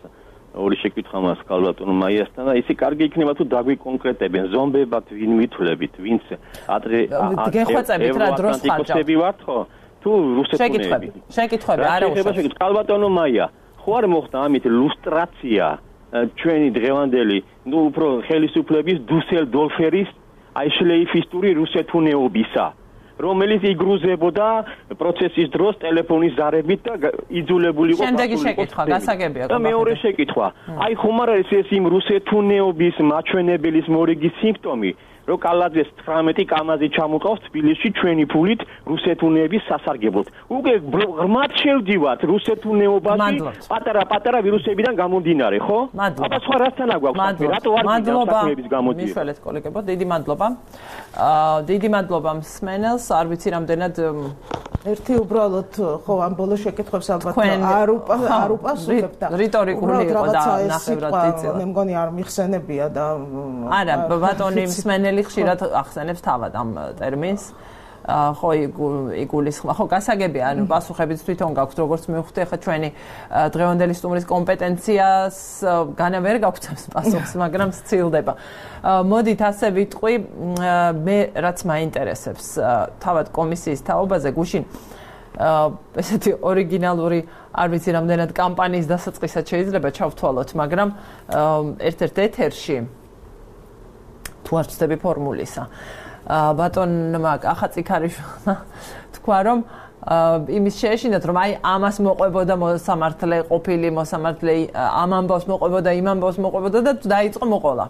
ორი შეკითხვა მაქვს ხალბატონო მაიასთან და ისი კარგი იქნება თუ დაგვიკონკრეტებენ ზომბებად ვინ ვითვლებით, ვინც ადრე გეხვეწებით რა დროს ხარჯავთ ვართ ხო? თუ რუსეთუნები. შეკითხვები არა უშავს. ხალბატონო მაია, ხო არ მოხდა ამით ლუსტრაცია ჩვენი დღევანდელი, ნუ უფრო ხელისუფლების დუსელდორფერის აი შლეიფისტური რუსეთუნეობისა. რომელიც იგრუზებოდა პროცესის დროს ტელეფონის ზარებით და იძულებული იყო შემდეგი შეკითხვა გასაგებია და მეორე შეკითხვა აი ხომ არ არის ეს იმ რუსეთუნეობის მაჩვენებლის მორიგის სიმპტომი რომ კალაძეს 19 კამაზი ჩამოყავს თბილისში ჩვენი ფულით რუსეთუნეების სასარგებლოდ უკვე ღრმად შევდივართ რუსეთუნეობაში პატარა ვირუსებიდან გამომდინარე ხო აბა სხვა რასთან აგვაქვს რატო არ გასაქმეების გამოდიება მიშველეთ კოლეგებო დიდი მადლობა დიდი მადლობა მსმენელს არ ვიცი რამდენად ერთი უბრალოდ ხო ამ ბოლო შეკითხვებს ალბათ არ უპასუხებ და რიტორიკული იყო და ნახევრად დიწევა მე მგონი არ მიხსენებია და არა ბატონი მსმენელი ხშირად ახსენებს თავად ამ ტერმინს ხო იგულისხმება ხო გასაგებია ანუ პასუხებიც თვითონ გაქვთ როგორც მივხვდი ახლა ჩვენი დღევანდელი სტუმრის კომპეტენციას განა ვერ გაგვცემს პასუხს მაგრამ სცილდება მოდით ასე ვიტყვი მე რაც მაინტერესებს თავად კომისიის თაობაზე გუშინ ესეთი ორიგინალური არ ვიცი რამდენად კამპანიის დასაწყისად შეიძლება ჩავთვალოთ მაგრამ ერთ-ერთ ეთერში თუ არ ვწდები ფორმულისა ბატონმა ახაციქარიშვილმა თქვა რომ იმის შეეშინათ რომ აი ამას მოყვებოდა მოსამართლე ყოფილი მოსამართლე ამ ამბავს მოყვებოდა იმ ამბავს მოყვებოდა და დაიწყო მოყოლა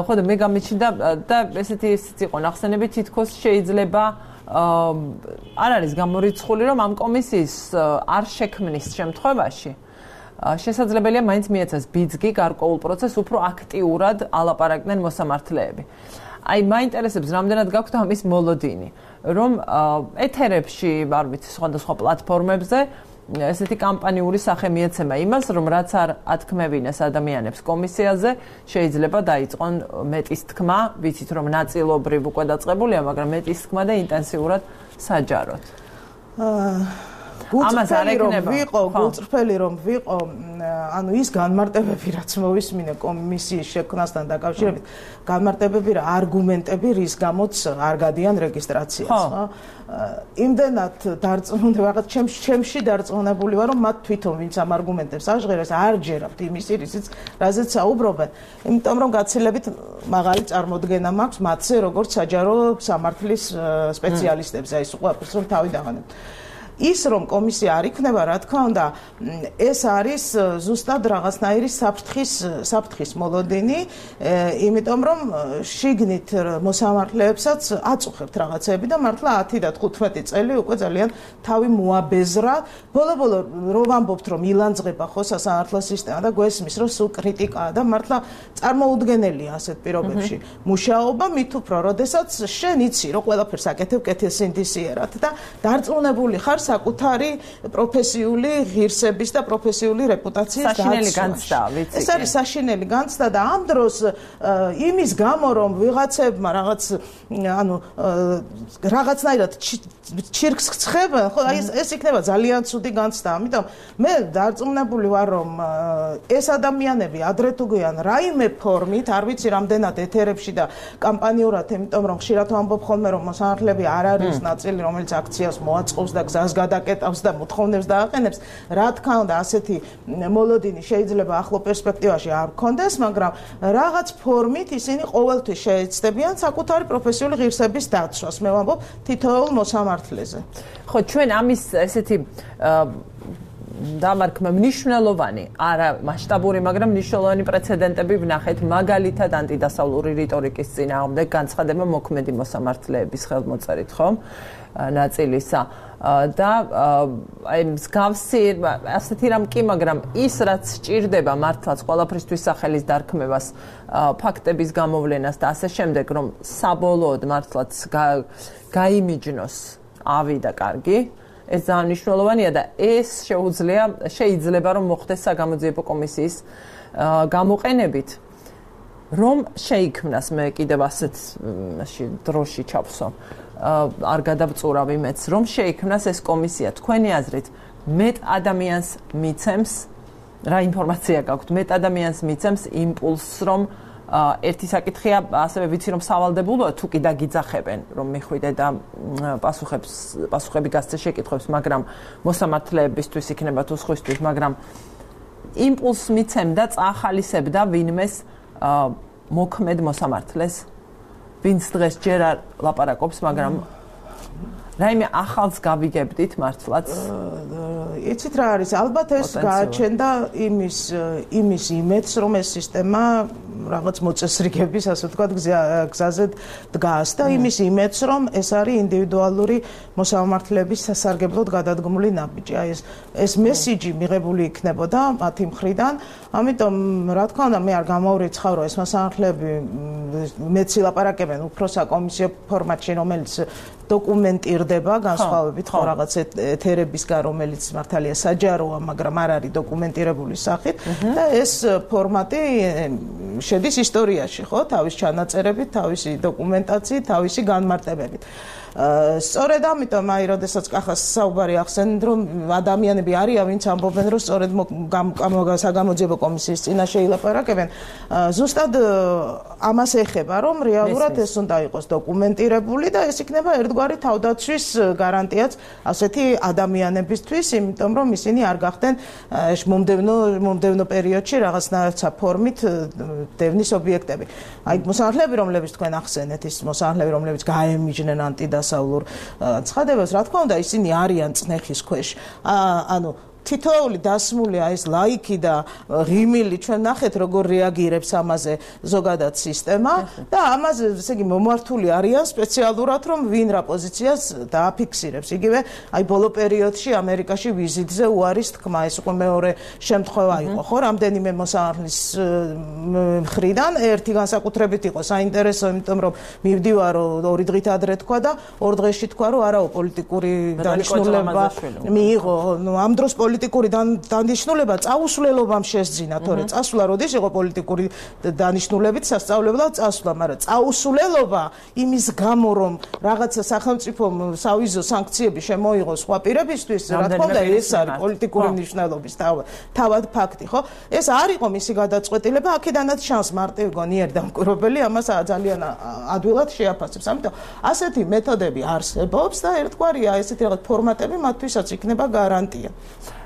ხო და მე გამიჩნდა და ესეთი იყო ნახსენები თითქოს შეიძლება არ არის გამორიცხული რომ ამ კომისიის არ შექმნის შემთხვევაში შესაძლებელია მაინც მიეცეს ბიძგი გარკვეულ პროცესს უფრო აქტიურად ალაპარაკდნენ მოსამართლეები. აი მაინტერესებს რამდენად გაქვთ ამის მოლოდინი, რომ ეთერებში, არ ვიცი, სხვადასხვა პლატფორმებზე ესეთი კამპანიური სახე მიეცემა იმას, რომ რაც არ ათქმევინეს ადამიანებს კომისიაზე, შეიძლება დაიწყონ მეტის თქმა, ვიცით რომ ნაწილობრივ უკვე დაწყებულია, მაგრამ მეტის თქმა და ინტენსიურად საჯაროდ. გულწრფელი რომ ვიყო, ანუ ის განმარტებები, რაც მოვისმინე კომისიის შექმნასთან დაკავშირებით, განმარტებები რა არგუმენტები რის გამოც არ გადიან რეგისტრაციას, ხო? იმდენად დარწმუნებული ვარ, ჩემში დარწმუნებული ვარ, რომ მათ თვითონ ვინც ამ არგუმენტებს აღჟღერებს, არ ჯერებთ იმის რისიც, რაზეც საუბრობენ. იმიტომ რომ გაცილებით მაღალი წარმოდგენა მაქვს მათზე, როგორც საჯარო სამართლის სპეციალისტებზე, აი უყვარს რომ თავი დავანებთ. ის რომ კომისია არ იქნება, რა თქმა უნდა, ეს არის ზუსტად რაღაცნაირი საფრთხის მოლოდინი, იმიტომ რომ შიგნით მოსამართლეებსაც აწუხებთ რაღაცები და მართლა 10 და 15 წელი უკვე ძალიან თავი მოაბეზრა. ბოლო-ბოლო რო ვამბობთ, რომ ილანძღება ხო სასამართლო სისტემა და გვესმის, რომ სულ კრიტიკაა და მართლა წარმოუდგენელია ასეთ პირობებში მუშაობა, მით უფრო, როდესაც შენ იცი, რომ ყველაფერს აკეთებ კეთილსინდისიერად და დარწმუნებული ხარ საკუთარი პროფესიული ღირსების და პროფესიული რეპუტაციის საშინელი განცდა, ვიცი. ეს არის საშინელი განცდა და ამ დროს იმის გამო რომ ვიღაცებმა ანუ რაღაცნაირად ჩირკს ცხებენ, ხო, ეს იქნება ძალიან ცუდი განცდა. ამიტომ მე დარწმუნებული ვარ, რომ ეს ადამიანები ადრე თუ გვიან რაიმე ფორმით, არ ვიცი რამდენად ეთერებში და კამპანიურად, იმიტომ რომ ხშირად ვამბობ ხოლმე რომ მოსამართლეები არ არის ნაწილი, რომელიც აქციას მოაწყობს და გზას გადაკეტავს და მოთხოვნებს დააყენებს. Რა თქმა უნდა, ასეთი მოლოდინი შეიძლება ახლო პერსპექტივაში არ გქონდეს, მაგრამ რაღაც ფორმით ისინი ყოველთვის შეეცდებიან საკუთარი პროფესიული ღირსების დაცვას. მე ვამბობ თითოეულ მოსამართლეზე. ხო, ჩვენ ამის ესეთი დამარხმა მნიშვნელოვანი, არა მასშტაბური, მაგრამ მნიშვნელოვანი პრეცედენტები ვნახეთ, მაგალითად ანტიდასავლური რიტორიკის წინააღმდეგ განცხადება მოქმედი მოსამართლეების ხელმოწერით, ხო? ნაწილისა და აი მსგავსი ასეთი რამ კი, მაგრამ ის რაც სჭირდება მართლაც ყველაფრისთვის სახელის დარქმევას, ფაქტების გამოვლენას და ასე შემდეგ, რომ საბოლოოდ მართლაც გაიმიჯნოს ავი და კარგი, ეს ძალიან მნიშვნელოვანია და ეს შეიძლება რომ მოხდეს საგამოძიებო კომისიის გამოყენებით, რომ შეიქმნას მე კიდევ ასეთ დროში ჩავსო. არ გადავწურავი მეც, რომ შეიქმნას ეს კომისია. თქვენი აზრით, მეტ ადამიანს მიცემს, რა ინფორმაცია გაქვთ, მეტ ადამიანს მიცემს იმპულსს, რომ ერთი საკითხია, ასევე ვიცი რომ სავალდებულოა, თუ კი დაგიძახებენ, რომ მიხვიდე და პასუხები გასცე შეკითხვებს, მაგრამ მოსამართლეებისთვის იქნება თუ სხვისთვის, მაგრამ იმპულსს მიცემდა, წაახალისებდა ვინმეს მოქმედ მოსამართლეს, ვინც დღეს ჯერ არ ლაპარაკობს, მაგრამ რაიმე ახალს გავიგებდით მართლაც? იცით რა არის, ალბათ ეს გააჩენდა იმის იმედს, რომ ეს სისტემა რაღაც მოწესრიგების, ასე ვთქვათ, გზაზე დგას და იმის იმედს, რომ ეს არის ინდივიდუალური მოსამართლეების სასარგებლოდ გადადგმული ნაბიჯი. აი ეს მესიჯი მიღებული იქნებოდა მათი მხრიდან, ამიტომ რა თქმა უნდა, მე არ გამავრიცხავ, რომ ეს მოსამართლეები მეც ლაპარაკებენ უფრო საკომისიო ფორმატში, რომელიც დოკუმენტირდება განსხვავებით ხო რაღაც ეთერებისგან, რომელიც მართალია საჯაროა, მაგრამ არ არის დოკუმენტირებული სახით და ეს ფორმატი შედის ისტორიაში, ხო, თავის ჩანაწერებით, თავისი დოკუმენტაციით, თავისი განმარტებებით. სწორედ ამიტომ აი როდესაც კახას საუბარი ახსენეთ, რომ ადამიანები არიან, ვინც ამბობენ, რომ სწორედ საგამოძიებო კომისიის წინაშე ილაპარაკებენ, ზუსტად ამას ეხება, რომ რეალურად ეს უნდა იყოს დოკუმენტირებული და ეს იქნება ერთგვარი თავდაცვის გარანტიაც ასეთი ადამიანებისთვის, იმიტომ რომ ისინი არ გახდნენ მომდევნო პერიოდში რაღაცნაირად ფორმით დევნის ობიექტები. აი მოსამართლეები, რომლებიც თქვენ ახსენეთ, ის მოსამართლეები, რომლებიც გაემიჯნენ ანტიდასავლურ ცხადებას, რა თქმა უნდა, ისინი არიან წნეხის ქვეშ. ანუ თითოეული დასმულია ეს ლაიქი და ღიმილი, ჩვენ ნახეთ როგორ რეაგირებს ამაზე ზოგადად სისტემა და ამაზე ესე იგი მომართული არიან სპეციალურად, რომ ვინ რა პოზიციას დააფიქსირებს. იგივე აი ბოლო პერიოდში ამერიკაში ვიზიტზე უარის თქმა, ეს უკვე მეორე შემთხვევა იყო, ხო, რამდენიმე მოსამართლის მხრიდან, ერთი განსაკუთრებით იყო საინტერესო, იმიტომ რომ მივდივარ 2 დღით ადრე თქვა და 2 დღეში თქვა, რომ არაო პოლიტიკური დანიშნულება მიიღო, ამ დროს პოლიტიკური დანიშნულება წაუსვლელობამ შესძინა, თორე წასვლა როდის იყო პოლიტიკური დანიშნულებით სასწავლებლად წასვლა, მაგრამ წაუსვლელობა იმის გამო, რომ რაღაცა სახელმწიფომ სავიზო სანქციები შემოიღოს სხვა პირებისთვის, რა თქმა უნდა, ეს არის პოლიტიკური მნიშვნელობის თავად ფაქტი, ხო? ეს არ იყო მისი გადაწყვეტილება, აქედანაც ჩანს მარტივი გონიერი დამკვირვებელი ამას ძალიან ადვილად შეაფასებს. ამიტომ ასეთი მეთოდები არსებობს და ერთგვარია ესეთი რაღაც ფორმატები მათთვისაც იქნება გარანტია.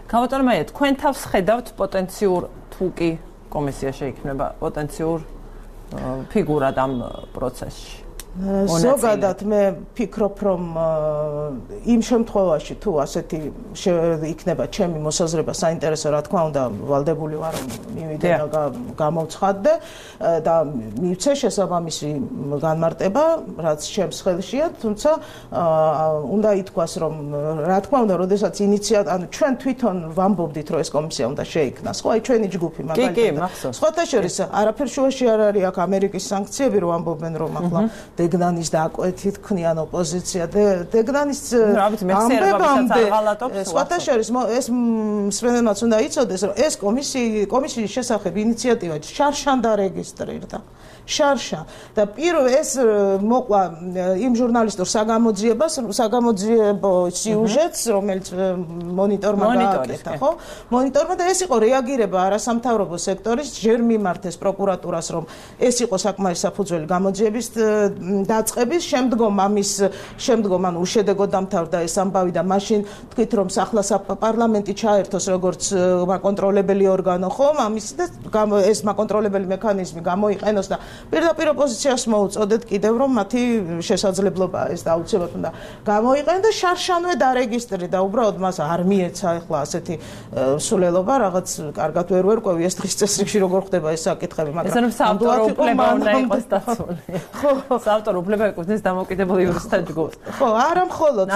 Გავატარ მე, თქვენ თავს ხედავთ პოტენციურ თუ კი კომისია შეიქმნება პოტენციურ ფიგურად ამ პროცესში. ზოგადად მე ფიქრობ, რომ იმ შემთხვევაში თუ ასეთი იქნება ჩემი მოსაზრება საინტერესო, რა თქმა უნდა, ვალდებული ვარ რომ მივიდე და გამოვცხადდე და მივცე შესაბამისი განმარტება, რაც ჩემს ხელშია, თუმცა უნდა ითქვას, რომ რა თქმა უნდა, როდესაც ანუ ჩვენ თვითონ ვამბობდით, რომ ეს კომისია უნდა შეიქმნას, ხო, აი ჩვენი ჯგუფი მაგალითად. სხვათა შორის არაფერ შუაში არ არის აქ ამერიკის სანქციები, რომ ამბობენ, რომ ახლა დეგნანის დაკვეთით ქნიან ოპოზიცია დეგნანის ამბებამდე სხვათა შორის ეს მსმენელმაც უნდა იცოდეს, რომ ეს კომისიის შესახებ ინიციატივა შარშან დარეგისტრირდა. შარშა და ეს მოყვა იმ ჟურნალისტურ საგამოძიებო სიუჟეტს, რომელიც მონიტორმა გააკეთა, ხო? მონიტორმა და ეს იყო რეაგირება არასამთავრობო სექტორის ჯერ მიმართეს პროკურატურას, რომ ეს იყო საკმარის საფუძველი გამოძიების დაწყების შემდგომ ანუ უშედეგოდ დამთავრდა ეს ამბავი და მაშინ თქვით რომ ახლა პარლამენტი ჩაერთოს როგორც მაკონტროლებელი ორგანო ხო ამის და ეს მაკონტროლებელი მექანიზმი გამოიყენოს და პირდაპირ ოპოზიციას მოუწოდეთ კიდევ რომ მათი შესაძლებლობაა ეს და აუცილებლად უნდა გამოიყენოს და შარშანვე დარეგისტრი და უბრალოდ მას არ მიეცა ახლა ასეთი სულელობა რაღაც კარგად ვერ ვერკვევი ეს დღის წესრიგში როგორ ხდება ეს საკითხები მაგრამ საავტორო უფლება უნდა იყოს დაცული ხო საავტორო უფლება ეკუთვნის დამოუკიდებელ იურისტთა ჯგუფს ხო არა მხოლოდ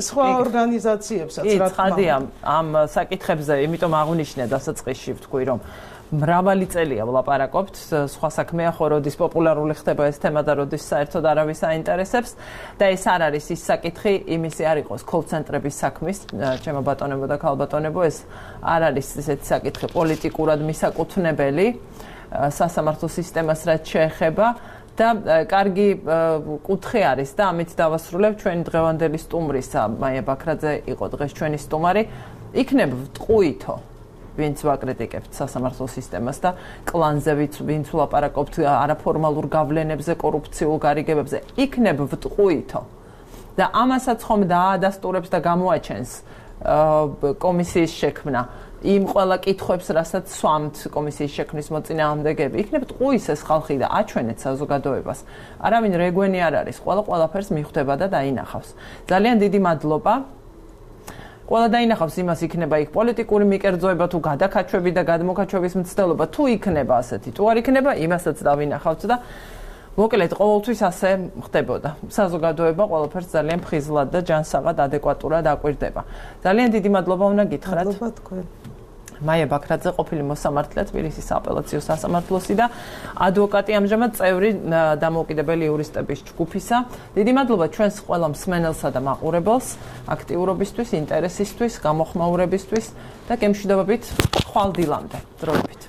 სხვა ორგანიზაციებსაც რა თქმა უნდა ამ საკითხებზე იმიტომ აღვნიშნე დასაწყისში ვთქვი რომ მრავალი წელია ვლაპარაკობთ სხვა საქმეა ხო როდის პოპულარული ხდება ეს თემა და როდის საერთოდ არავის აინტერესებს და ეს არ არის ის საკითხი იმისი არ იყოს კოლ-ცენტრების საქმის ჩემო ბატონებო და ქალბატონებო ეს არ არის ესეთი საკითხი პოლიტიკურად მისაკუთვნებელი სასამართლო სისტემას რაც შეეხება და კარგი კუთხე არის და ამით დავასრულებ ჩვენი დღევანდელი სტუმრისა მაია ბაქრაძე იყო დღეს ჩვენი სტუმარი იქნებ ვტყუითო ვინც ვაკრიტიკებთ სასამართლო სისტემას და კლანზე ვინც ვლაპარაკობთ არაფორმალურ გავლენებზე კორუფციულ გარიგებებზე იქნებ ვტყუითო და ამასაც ხომ დაადასტურებს და გამოაჩენს კომისიის შექმნა იმ ყველა კითხვებს რასაც სვამთ კომისიის შექმნის მოწინააღმდეგეები იქნებ ტყუის ეს ხალხი და აჩვენეთ საზოგადოებას არავინ რეგვენი არ არის ყველაფერს მიხვდება და დაინახავს ძალიან დიდი მადლობა ყველა დაინახავს იმას იქნება იქ პოლიტიკური მიკერძოება თუ გადაკაჩვები და გადმოკაჩვების მცდელობა თუ იქნება ასეთი თუ არ იქნება იმასაც დავინახავთ და მოკლედ ყოველთვის ასე ხდებოდა საზოგადოება ყველაფერს ძალიან ფხიზლად და ჯანსაღად ადეკვატურად აკვირდება ძალიან დიდი მადლობა უნდა გითხრათ მადლობა თქვენ მაია ბაქრაძე ყოფილი მოსამართლე თბილისის აპელაციო სასამართლოსი და ადვოკატი ამჟამად წევრი დამოუკიდებელი იურისტების ჯგუფისა. დიდი მადლობა ჩვენს ყველა მსმენელსა და მაყურებელს აქტიურობისთვის, ინტერესისთვის, გამოხმაურებისთვის და გემშვიდობებით ხვალ დილამდე. დროებით.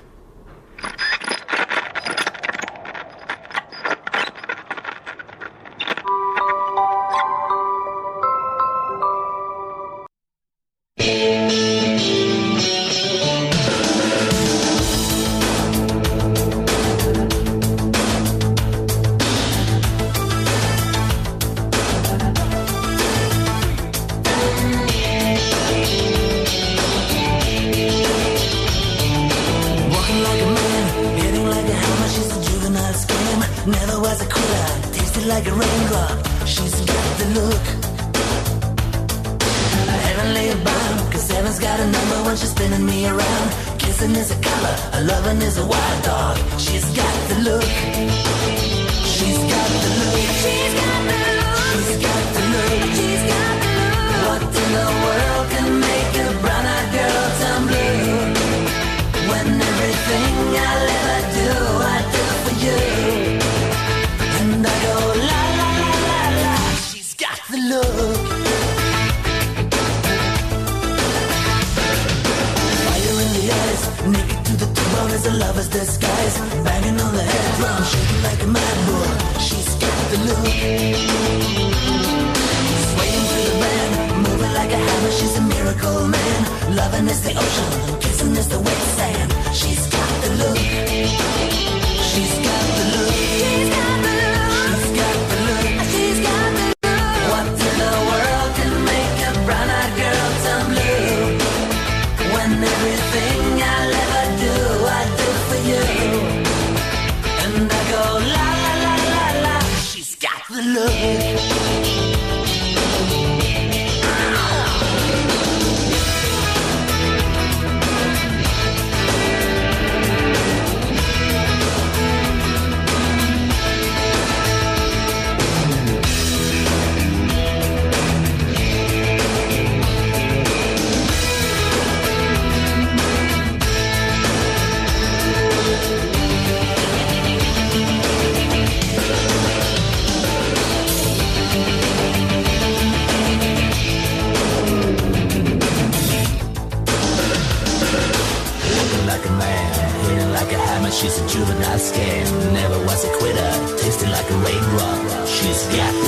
She's a juvenile scam, never was a quitter, tasted like a raindrop. She's got